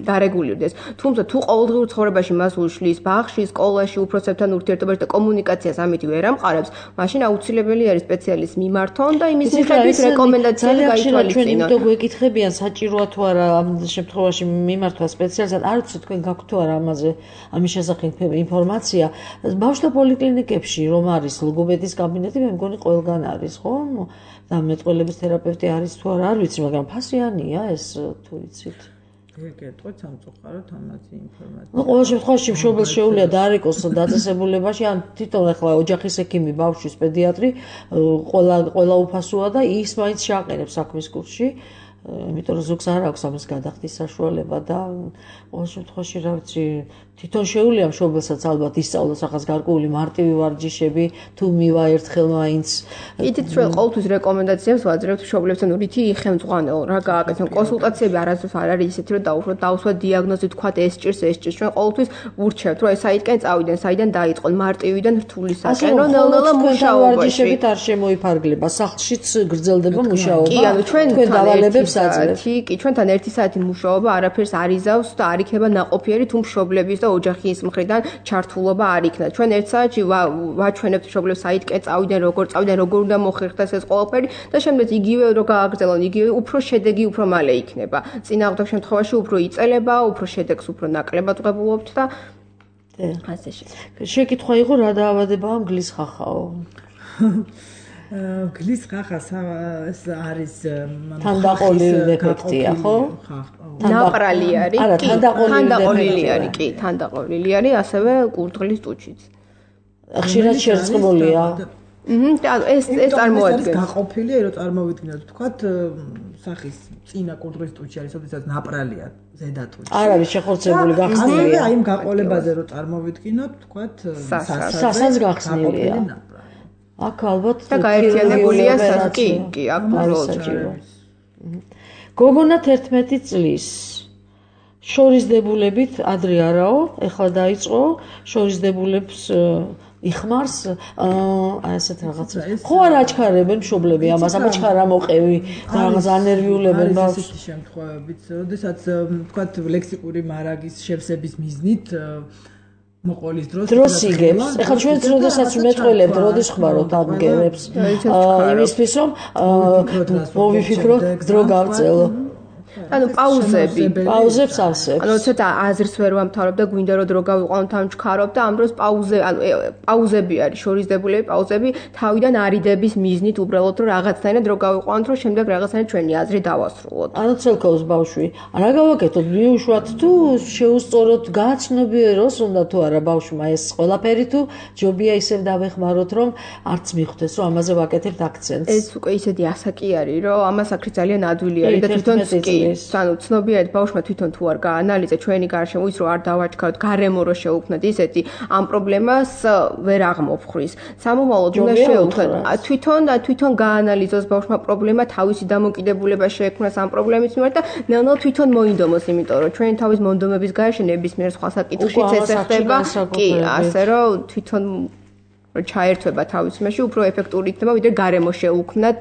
დარეგულირდეს. თუმცა თუ ყოველდღიურ ცხოვრებაში მას უშლის ბაღში, სკოლაში, უფროსებთან ურთიერთობაში და კომუნიკაციას ამით ვერ ამყარებს, მაშინ აუცილებელი არის სპეციალისტს მიმართონ და იმის მიხედვით რეკომენდაციები გაითვალისწინონ. ჩვენ თუ გვეკითხებიან საჭიროა თუ არა ამ შემთხვევაში მიმართვა სპეციალისტად, არ ვიცი თქვენ გაქვთ თუ არა ამაზე ამის შესახებ ინფორმაცია. ბავშვთა პოლიკლინიკებში რომ არის ლოგოპედის კაბინეტი, მე მგონი ყველგან არის, ხო? და მეტყველების თერაპევტი არის თუ არა, არ ვიცი, მაგრამ ფასიანია ეს თუ იცით. გეტყვით სამწუხაროდ ამაზე ინფორმაცია. ნუ ყოველ შემთხვევაში მშობელს შეუძლია დაარეკოს დაწესებულებაში, ან თვითონ ახლა ოჯახის ექიმი, ბავშვის პედიატრი, ყველა ყველა უფასოა და ის მაინც შეაყენებს საქმის კურსში. იმიტომ რომ ზოგს არ აქვს ამის გადახდის საშუალება და ყოველ შემთხვევაში რა ვიცი თვითონ შეუძლია მშობელსაც ალბათ ისწავლოს ახაც გარკვეული მარტივი ვარჯიშები თუ მივა ერთხელ მაინც. იცით ჩვენ ყოველთვის რეკომენდაციებს ვაძლევთ მშობლებთან რითი იხელმძღვანელო რა გააკეთონ კონსულტაციები არასდროს არ არის ისეთი რომ დაუშვათ დაუსვათ დიაგნოზი თქვათ ეს ჭირს ეს ჭირს ჩვენ ყოველთვის ვურჩევთ რომ ეს საიდკენ წავიდნენ საიდან დაიწყონ მარტივიდან რთულისაკენ რომ ნელ-ნელა მუშაობაში ვარჯიშებით არ შემოიფარგლება სახლშიც გრძელდება მუშაობა. კი ანუ ჩვენ დავალებებს საათი, კი ჩვენთან ერთი საათი მუშაობა არაფერს არ იზავს და არ იქნება ნაყოფიერი თუ მშობლების და ოჯახის მხრიდან ჩართულობა არ იქნა. ჩვენ ერთ საათში ვაჩვენებთ მშობლებს საიდკენ წავიდნენ, როგორ წავიდნენ, როგორ უნდა მოხერხდეს ეს ყველაფერი და შემდეგ იგივე რო გააგრძელონ, იგივე უფრო შედეგი უფრო მალე იქნება. წინააღმდეგ შემთხვევაში უფრო იწელება, უფრო შედეგს უფრო ნაკლებად ვღებულობთ და ასე შეიძლება. შეკითხვა იყო რა დაავადებაა მგლის ხახაო? გლის ხახას ეს არის თანდაყოლილი დეფექტია, ხო? ნაპრალი არის, კი, თანდაყოლილი არის, კი, თანდაყოლილი არის, ასევე კურდღლის ტუჩიც. ხშირად შერწყმულია. აჰა, და ეს ეს წარმოადგენს გაყოფილია, რომ წარმოვიდგინოთ, თქვათ, სახის წინა კუდრის ტუჩი არის, ოდესაც ნაპრალია ზედა ტუჩი. არ არის შეხორცებული გახსნილი. აი იმ გაყოლებაზე რომ წარმოვიდგინოთ, თქვათ, სასაც გახსნილია. აქ ალბათ და გაერთიანებულია კი, კი, აქ უბრალოდ. გოგონა თერთმეტი წლის შორისდებულებით ადრე არაო, ეხლა დაიწყო შორისდებულებს იხმარს აი ესეთ რაღაცა. ხო არ აჩქარებენ მშობლები ამას, აბაჩქარ ამოყევი, რაღაც ანერვიულებენ ბავშვს. არის ესეთი შემთხვევებიც, როდესაც თქვათ ლექსიკური მარაგის შევსების მიზნით მოყოლის დროს დროს იგებს. ეხლა ჩვენც როდესაც მეტყველებთ, როდის ხმარობთ ამ გერებს, იმისთვის რომ მოვიფიქროთ დრო გავწელო. ანუ პაუზები, პაუზებს ავსებ. ანუ ცოტა აზრს ვერ ვამთავრებ და გვინდა რომ დრო გავიყვანოთ ამ ჩქარობ და ამ დროს პაუზე, ანუ პაუზები არის, შორისდებულები პაუზები თავიდან არიდების მიზნით უბრალოდ რომ რაღაცნაირად დრო გავიყვანოთ, რომ შემდეგ რაღაცნაირად ჩვენი აზრი დავასრულოთ. ანუ ცელქავს ბავშვი. რა გავაკეთოთ? მიუშვათ თუ შეუსწოროთ გააცნობიეროს, უნდა თუ არა ბავშვმა ეს ყველაფერი თუ ჯობია ისევ დავეხმაროთ, რომ არც მიხვდეს, რომ ამაზე ვაკეთებთ აქცენტს. ეს უკვე ისეთი ასაკი არის, რომ ამას აქრი ძალიან ადვილი არის და თვითონ კი ანუ ცნობიერად ბავშვმა თვითონ თუ არ გაანალიზა ჩვენი გარშემო ის რომ არ დავაჩქაროთ გარემო რო შეუქმნათ ისეთი ამ პრობლემას ვერ აღმოფხრის სამომავლოდ უნდა შეუქმნათ თვითონ თვითონ გაანალიზოს ბავშვმა პრობლემა თავისი დამოკიდებულება შეექმნას ამ პრობლემის მიმართ და ნელ-ნელა თვითონ მოინდომოს იმიტომ რომ ჩვენი თავის მონდომების გარშე ნებისმიერ სხვა საკითხშიც ეს ხდება კი ასე რომ თვითონ ჩაერთვება თავის იმაში უფრო ეფექტური იქნება ვიდრე გარემო შეუქმნათ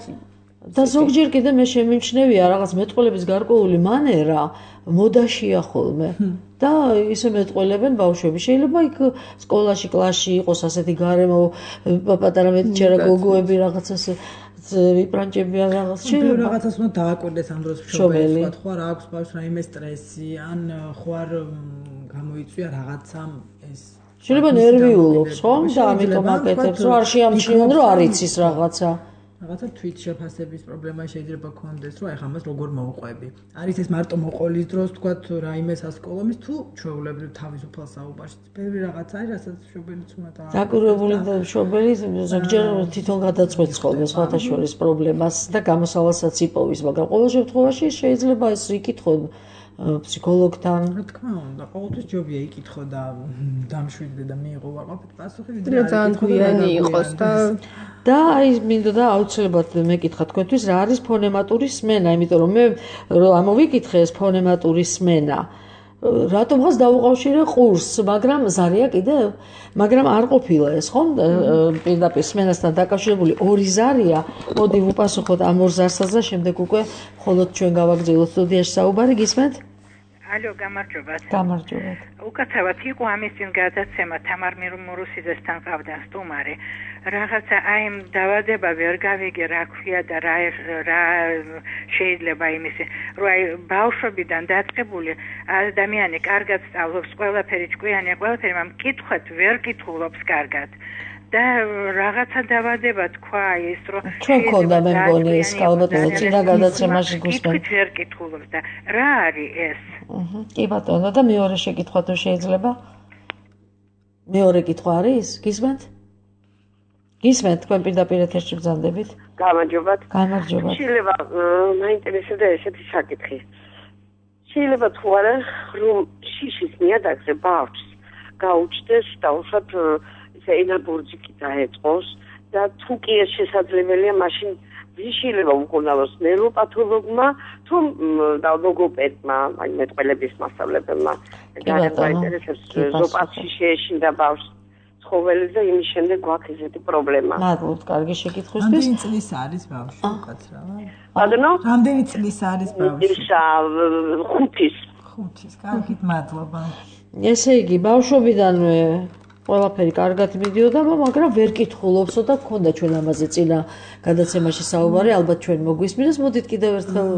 და ზოგჯერ კიდე მე შემიმჩნევია რაღაც მეტყველების გარკვეული მანერა მოდაშია ხოლმე და ისე მეტყველებენ ბავშვები შეიძლება იქ სკოლაში კლასში იყოს ასეთი გარემო პატარა მეტიჩერა გოგოები რაღაც ასე ვიპრანჭები ან რაღაც შეიძლება რაღაცას უნდა დააკვირდეს ამ დროს მშობელი სხვა ხო რა აქვს ბავშვს რაიმე სტრესი ან ხო არ გამოიწვია რაღაცამ ეს შეიძლება ნერვიულობს ხო და ამიტომ აკეთებს რომ არ შეამჩნიონ რომ არ იცის რაღაცა რაღაცა თვით შეფასების პრობლემა შეიძლება ქონდეს, რომ ეხლა მას როგორ მოვყვები. არის ეს მარტო მოყოლის დროს, თქვათ, რაიმე სასკოლომის თუ ჩვეულებრივ თავისუფალ საუბარში. ბევრი რაღაც არის, რასაც მშობელიც უნდა და დაკვირვებული მშობელი ზოგჯერ თვითონ გადაწყვეტს ხოლმე სხვათა შორის პრობლემას და გამოსავალსაც იპოვის, მაგრამ ყოველ შემთხვევაში შეიძლება ეს იკითხონ ფსიქოლოგთან. რა თქმა უნდა, ყოველთვის ჯობია იკითხო და დამშვიდდე და მიიღო ვაყოფით პასუხი, ვიდრე ძალიან გვიანი იყოს და და აი მინდოდა აუცილებლად მეკითხა თქვენთვის რა არის ფონემატური სმენა, იმიტომ რომ მე რომ ამოვიკითხე ეს ფონემატური სმენა. რატომღაც დაუყავშირე ყურსს, მაგრამ ზარია კიდევ, მაგრამ არ ყოფილა ეს ხომ პირდაპირ სმენასთან დაკავშირებული ორი ზარია. მოდი ვუპასუხოთ ამ ორ ზარსაც და შემდეგ უკვე მხოლოდ ჩვენ გავაგრძელოთ სტუდიაში საუბარი, გისმენთ? ალო, გამარჯობათ. გამარჯობათ. უკაცრავად იყო ამის წინ გადაცემა თამარ მურუსიძესთან ყავდა სტუმარი. რაღაცა აი ამ დავადება ვერ გავიგე რა ქვია და რა რა შეიძლება იმის რომ აი ბავშვებიდან დაწყებული ადამიანი კარგად სწავლობს ყველაფერი ჭკვიანია ყველაფერი მაგრამ კითხოთ ვერ კითხულობს კარგად და რაღაცა დავადება თქვა ის რომ ჩვენ ქონდა მე მგონი ეს ალბათ წინა გადაცემაში გუსმენთ ვერ კითხულობს და რა არის ეს აჰა კი ბატონო და მეორე შეკითხვა თუ შეიძლება მეორე კითხვა არის გისმენთ გისმენთ თქვენ პირდაპირ ეთერში ბრძანდებით გამარჯობათ გამარჯობათ შეიძლება მაინტერესებდა ესეთი საკითხი შეიძლება თუ არა რომ შიშის ნიადაგზე ბავშვს გაუჩნდეს და უშოთ ისე ენაბურჯიკი დაეწყოს და თუ კი ეს შესაძლებელია მაშინ შეიძლება უკონალოს ნეიროპათოლოგმა თუ ლოგოპედმა აი მეტყველების მასწავლებელმა გაინტერესებს ზოპასში შეეშინდა ბავშვს ცხოველზე იმის შემდეგ გვაქვს ესეთი პრობლემა. მადლობთ, კარგი შეკითხვისთვის. რამდენი წლის არის ბავშვი უკაცრავად? ბატონო? რამდენი წლის არის ბავშვი? ისა ხუთის. ხუთის, კარგით, მადლობა. ესე იგი, ბავშვობიდანვე ყველაფერი კარგად მიდიოდა, მაგრამ ვერ კითხულობსო და გქონდა ჩვენ ამაზე წინა გადაცემაში საუბარი, ალბათ ჩვენ მოგვისმინეს, მოდით კიდევ ერთხელ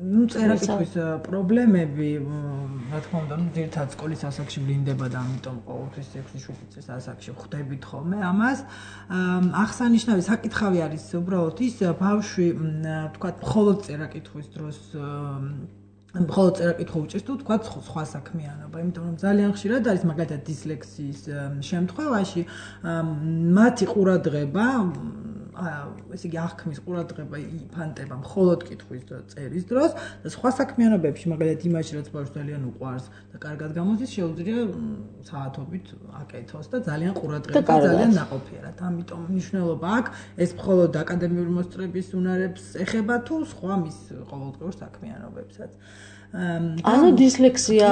ну წერაკითხვის პრობლემები რა თქმა უნდა ну ძირითადად სკოლის ასაკში ვლინდება და ამიტომ ყოველთვის ექვსი შვიდი წლის ასაკში ხვდებით ხოლმე ამას აღსანიშნავი საკითხავი არის უბრალოდ ის ბავშვი თქვა მხოლოდ წერაკითხვის დროს მხოლოდ წერა-კითხვა უჭირს თუ თქვა სხვა საქმიანობა, იმიტომ რომ ძალიან ხშირად არის მაგალითად დისლექსიის შემთხვევაში მათი ყურადღება ესე იგი აღქმის ყურადღება იფანტება მხოლოდ კითხვის და წერის დროს და სხვა საქმიანობებში მაგალითად იმაში რაც ბავშვს ძალიან უყვარს და კარგად გამოდის შეუძლია საათობით აკეთოს და ძალიან ყურადღება ძალიან ნაყოფიერად. ამიტომ მნიშვნელობა აქვს ეს მხოლოდ აკადემიური მოსწრების უნარებს ეხება თუ სხვა მის ყოველდღიურ საქმიანობებსაც. ანუ დისლექსია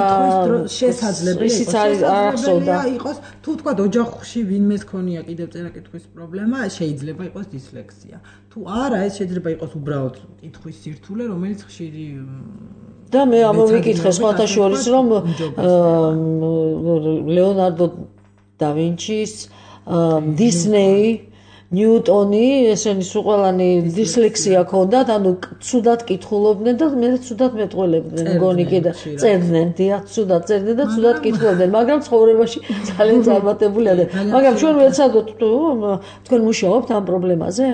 შესაძლებელია იყოს თუ თქვა ოჯახში ვინმეს ქონია კიდევ წერა-კითხვის პრობლემა შეიძლება იყოს დისლექსია თუ არა ეს შეიძლება იყოს უბრალოდ კითხვის სირთულე რომელიც ხშირი და მე ამოვიკითხე სხვათა შორის რომ ლეონარდო და ვინჩის დისნეი ნიუტონი ესენი სულყალანი დისლექსია ქონდათ, ანუ ცუდად კითხულობდნენ და მე ცუდად მეტყველებდნენ, მგონი კიდე წერდნენ, დიახ, ცუდად წერდნენ და ცუდად კითხულობდნენ, მაგრამ ცხოვრებაში ძალიან წარმატებული არიან. მაგრამ ჩვენ ვეცადოთ თუ თქვენ მუშაობთ ამ პრობლემაზე?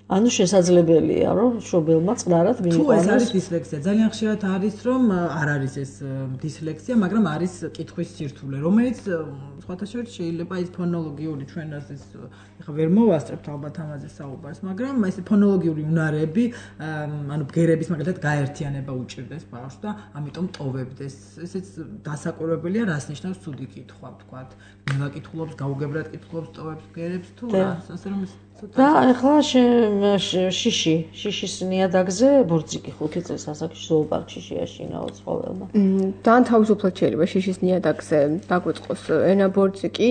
ანუ შესაძლებელია რომ შობელმა წყნარად მიიყვანოს. თუ ეს არის დისლექსია, ძალიან ხშირად არის რომ არ არის ეს დისლექსია, მაგრამ არის კითხვის სირთულე, რომელიც სხვათა შორის შეიძლება ის ფონოლოგიური ჩვენას ეს ეხა ვერ მოვასწრებთ ალბათ ამაზე საუბარს, მაგრამ ეს ფონოლოგიური უნარები, ანუ ბგერების მაგალითად გაერთიანება უჭირდეს ბავშვს და ამიტომ ტოვებდეს. ესეც დასაკვირვებელია, რას ნიშნავს ცუდი კითხვა, ვთქვათ. ნელა კითხულობს, გაუგებრად კითხულობს, ტოვებს ბგერებს თუ რას, ასე რომ და ახლა შიში, შიშის ნიადაგზე ბორძიკი ხუთი წლის ასაკში ზოოპარკში შეაშინა ცხოველმა. ძალიან თავისუფლად შეიძლება შიშის ნიადაგზე დაგვიწყოს ენა ბორძიკი.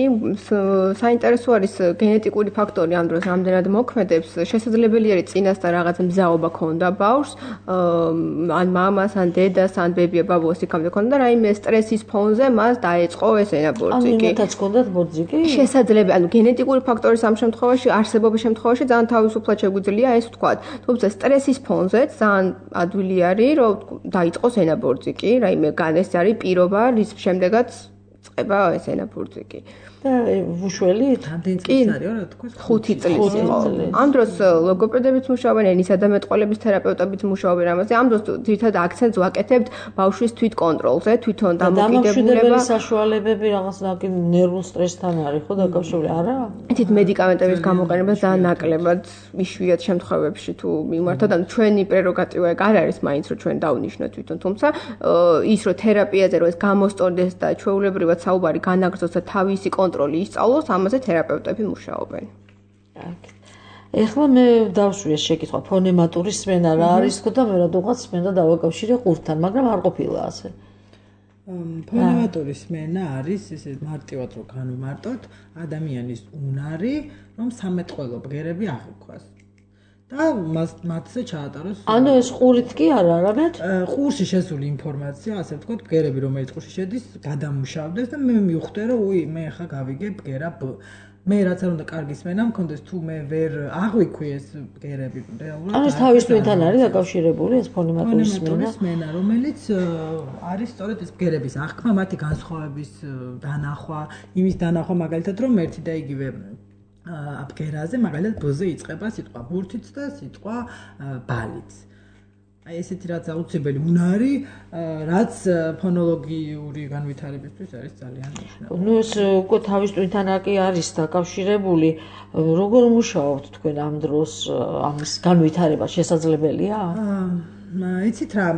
საინტერესო არის გენეტიკური ფაქტორი ამ დროს რამდენად მოქმედებს. შესაძლებელი არის წინასწარ რაღაც მზაობა ქონდა ბავშვს, ან მამას, ან დედას, ან ბებია ბაბუას იქამდე ქონდა და რაიმე სტრესის ფონზე მას დაეწყო ეს ენა ბორძიკი. ანუ იმათაც ქონდათ ბორძიკი? შესაძლებელი, ანუ გენეტიკური ფაქტორის ამ შემთხვევაში არსებობს შემთხვევაში ძალიან თავისუფლად შეგვიძლია ეს ვთქვათ. თუმცა სტრესის ფონზე ძალიან ადვილი არის, რომ დაიწყოს ენა ბორძიკი, რაიმე განეს არის პირობა, რის შემდეგაც წება ეს ენა ბორძიკი. და უშველი რამდენი წელი არის რა თქვა? ხუთი წლის იყო. ამ დროს ლოგოპედებიც მუშაობენ, ენისა და მეტყველების თერაპევტებიც მუშაობენ ამაზე. ამ დროს ძირითადად აქცენტს ვაკეთებთ ბავშვის თვით კონტროლზე, თვითონ დამოკიდებულება. საშუალებები რაღაც ნერვულ სტრესთან არის ხო დაკავშირებული, არა? თვით მედიკამენტების გამოყენება ძალიან ნაკლებად იშვიათ შემთხვევებში თუ მიმართოთ, ანუ ჩვენი პრეროგატივა ეგ არ არის მაინც რომ ჩვენ დავნიშნოთ თვითონ, თუმცა ის რომ თერაპიაზე რომ ეს გამოსწორდეს და ჩვეულებრივად საუბარი განაგრძოს და თავისი კონტროლი ისწავლოს, ამაზე თერაპევტები მუშაობენ. ეხლა მე დავშვი ეს შეკითხვა, ფონემატური სმენა რა არის თქო და მე რადგანაც სმენა დავაკავშირე ყურთან, მაგრამ არ ყოფილა ასე. ფონემატური სმენა არის ესე მარტივად რო განვიმარტოთ, ადამიანის უნარი, რომ სამეტყველო ბგერები აღიქვას. და მათზე ჩაატაროს. ანუ ეს ყურით კი არა, არამედ ყურში შესული ინფორმაცია, ასე ვთქვათ, ბგერები რომელიც ყურში შედის, გადამუშავდეს და მე მივხვდე, რომ უი, მე ხა გავიგე ბგერა B. მე რაც არ უნდა კარგი სმენა მქონდეს, თუ მე ვერ აღვიქვი ეს ბგერები რეალურად. ანუ თავის თვითონ არის დაკავშირებული ეს ფონემატური სმენა, სმენა, რომელიც არის სწორედ ეს ბგერების აღქმა, მათი განსხვავების დანახვა, იმის დანახვა მაგალითად, რომ ერთი და იგივე აბგერაზე მაგალითად ბ-ზე იწყება სიტყვა ბურთიც და სიტყვა ბალიც. აი ესეთი რაც აუცილებელი უნარი, რაც ფონოლოგიური განვითარებისთვის არის ძალიან მნიშვნელოვანი. ნუ ეს უკვე თავის თვითონ კი არის დაკავშირებული. როგორ მუშაობთ თქვენ ამ დროს ამის განვითარება შესაძლებელია? აა, იცით რა,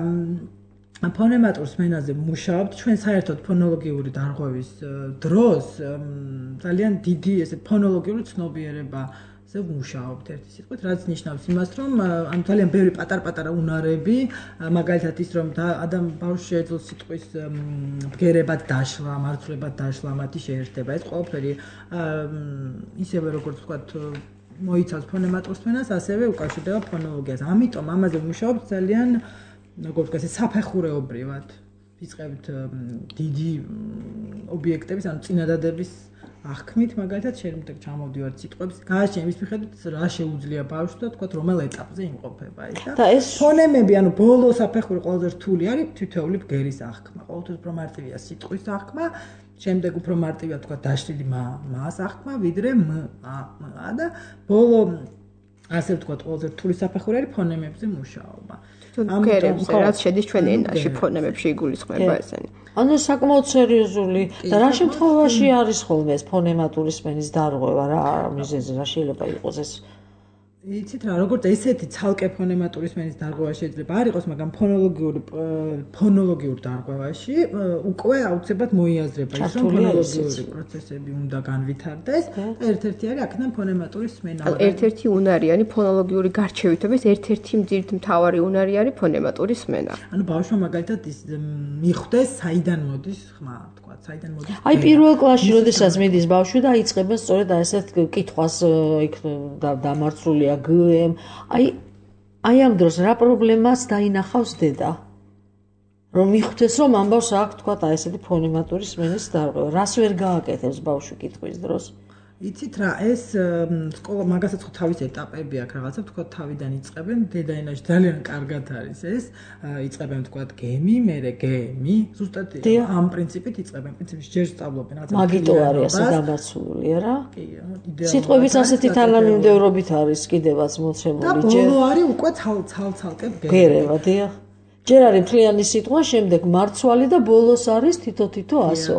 ფონემატურ სმენაზე მუშაობთ, ჩვენ საერთოდ ფონოლოგიური დარღვევის დროს ძალიან დიდი ესე ფონოლოგიური ცნობიერებაზე მუშაობთ ერთი სიტყვით, რაც ნიშნავს იმას, რომ ანუ ძალიან ბევრი პატარ-პატარა უნარები, მაგალითად ის რომ ადამ ბავშვს შეეძლოს სიტყვის ბგერებად დაშლა, მარცვლებად დაშლა, მათი შეერთება, ეს ყველაფერი ისევე როგორც ვთქვათ მოიცავს ფონემატურ სმენას, ასევე უკავშირდება ფონოლოგიას. ამიტომ ამაზე მუშაობთ ძალიან როგორც ვთქვათ, საფეხურეობრივად ვიწყებთ დიდი ობიექტების, ანუ წინადადების აღქმით, მაგალითად, შეიძლება ჩამოვდივართ სიტყვებს, გააჩნია იმის მიხედვით, რა შეუძლია ბავშვს და ვთქვათ, რომელ ეტაპზე იმყოფება ის და ეს ფონემები, ანუ ბოლო საფეხური ყველაზე რთული არის თითოეული ბგერის აღქმა. ყოველთვის უფრო მარტივია სიტყვის აღქმა, შემდეგ უფრო მარტივია ვთქვათ, დაშლილი მას აღქმა, ვიდრე м, ა, м და ბოლო ასე ვთქვათ, ყველაზე რთული საფეხური არის ფონემებზე მუშაობა. გერებზე რაც შედის ჩვენ ენაში ფონემებში იგულისხმება ესენი. ანუ საკმაოდ სერიოზული და რა შემთხვევაში არის ხოლმე ეს ფონემატური სმენის დარღვევა რა მიზეზი რა შეიძლება იყოს ეს იცით რა როგორც ესეთი ცალკე ფონემატური სმენის დარღვევა შეიძლება არ იყოს მაგრამ ფონოლოგიური ფონოლოგიურ დარღვევაში უკვე აუცილებლად მოიაზრება ის რომ ფონოლოგიური პროცესები უნდა განვითარდეს და ერთ-ერთი არის აქედან ფონემატური სმენა ერთ-ერთი უნარიანი ფონოლოგიური გარჩევითობის ერთ-ერთი მძირთ მთავარი უნარი არის ფონემატური სმენა ანუ ბავშვმა მაგალითად ის მიხვდეს საიდან მოდის ხმა თქვა საიდან მოდის აი პირველ კლასში როდესაც მიდის ბავშვი და იწყებენ სწორედ ასეთ კითხვას იქ დამარცრული გმ აი აი ამ დროს რა პრობლემას დაინახავს დედა რომ მიხვდეს რომ ამბავს აქვს თქვა და ესეთი ფონემატური სმენის დარღვევა რას ვერ გააკეთებს ბავშვი კითხვის დროს იცით რა ეს სკოლა მაგასაც ხო თავის ეტაპები აქვს რაღაცა თქვა თავიდან იწყებენ დედაენაში ძალიან კარგად არის ეს იწყებენ თქვა გემი მერე გემი ზუსტად ამ პრინციპით იწყებენ პრინციპში ჯერ სწავლობენ რაღაცა მაგიტო არის ასე დამარცული არა კი სიტყვების ასეთი თანამიმდევრობით არის კიდევაც მოცემული ჯერ და ბოლო არის უკვე ცალ-ცალკე გერევა დიახ ჯერ არის მთლიანი სიტყვა შემდეგ მარცვალი და ბოლოს არის თითო-თითო ასო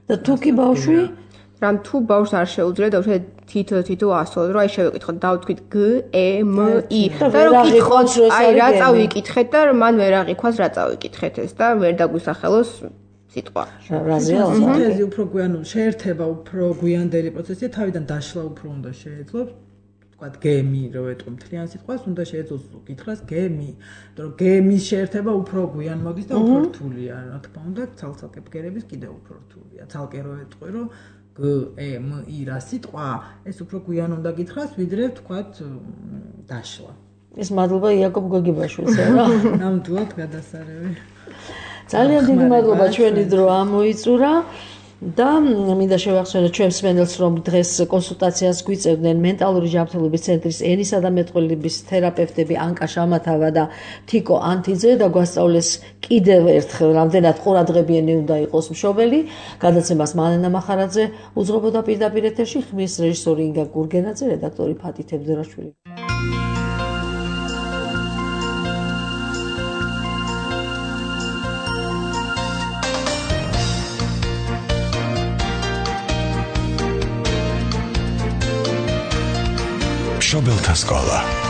და თუ კი ბავშვი რამ თუ ბავშვს არ შეუძლია და უშე თითო-თითო ასო რომ აი შევეკითხოთ დავთქვით გ ე მ ი და რომ კითხოთ აი რა წავიკითხეთ და მან ვერ აღიქვას რა წავიკითხეთ ეს და ვერ დაგვისახელოს სიტყვა რაზეა სინთეზი უფრო გვიან შეერთება უფრო გვიანდელი პროცესია თავიდან დაშლა უფრო უნდა შეეძლოს ვთქვათ გემი რო ეტყვი მთლიან სიტყვას უნდა შეეძლოს კითხრას გემი რომ გემის შეერთება უფრო გვიან მოდის და უფრო რთულია რა თქმა უნდა ცალ-ცალკე ბგერების კიდევ უფრო რთულია ცალკე რო ეტყვი რომ გ ე მ ი რა სიტყვა ეს უფრო გვიან უნდა გითხრას ვიდრე ვთქვათ დაშლა ეს მადლობა იაკობ გოგიბაშვილს რა ნამდვილად გადასარევი ძალიან დიდი მადლობა ჩვენი დრო ამოიწურა და მინდა შევახსენოთ ჩვენს მსმენელს რომ დღეს კონსულტაციას გვიწევდნენ მენტალური ჯანმრთელობის ცენტრის ენისა და მეტყველების თერაპევტები ანკა შამათავა და თიკო ანთიძე და გვასწავლეს კიდევ ერთხელ რამდენად ყურადღებიანი უნდა იყოს მშობელი გადაცემას მალენა მახარაძე უძღვებოდა პირდაპირ ეთერში ხმის რეჟისორი ინგა გურგენაძე რედაქტორი ფათი თევზერაშვილი მშობელთა სკოლა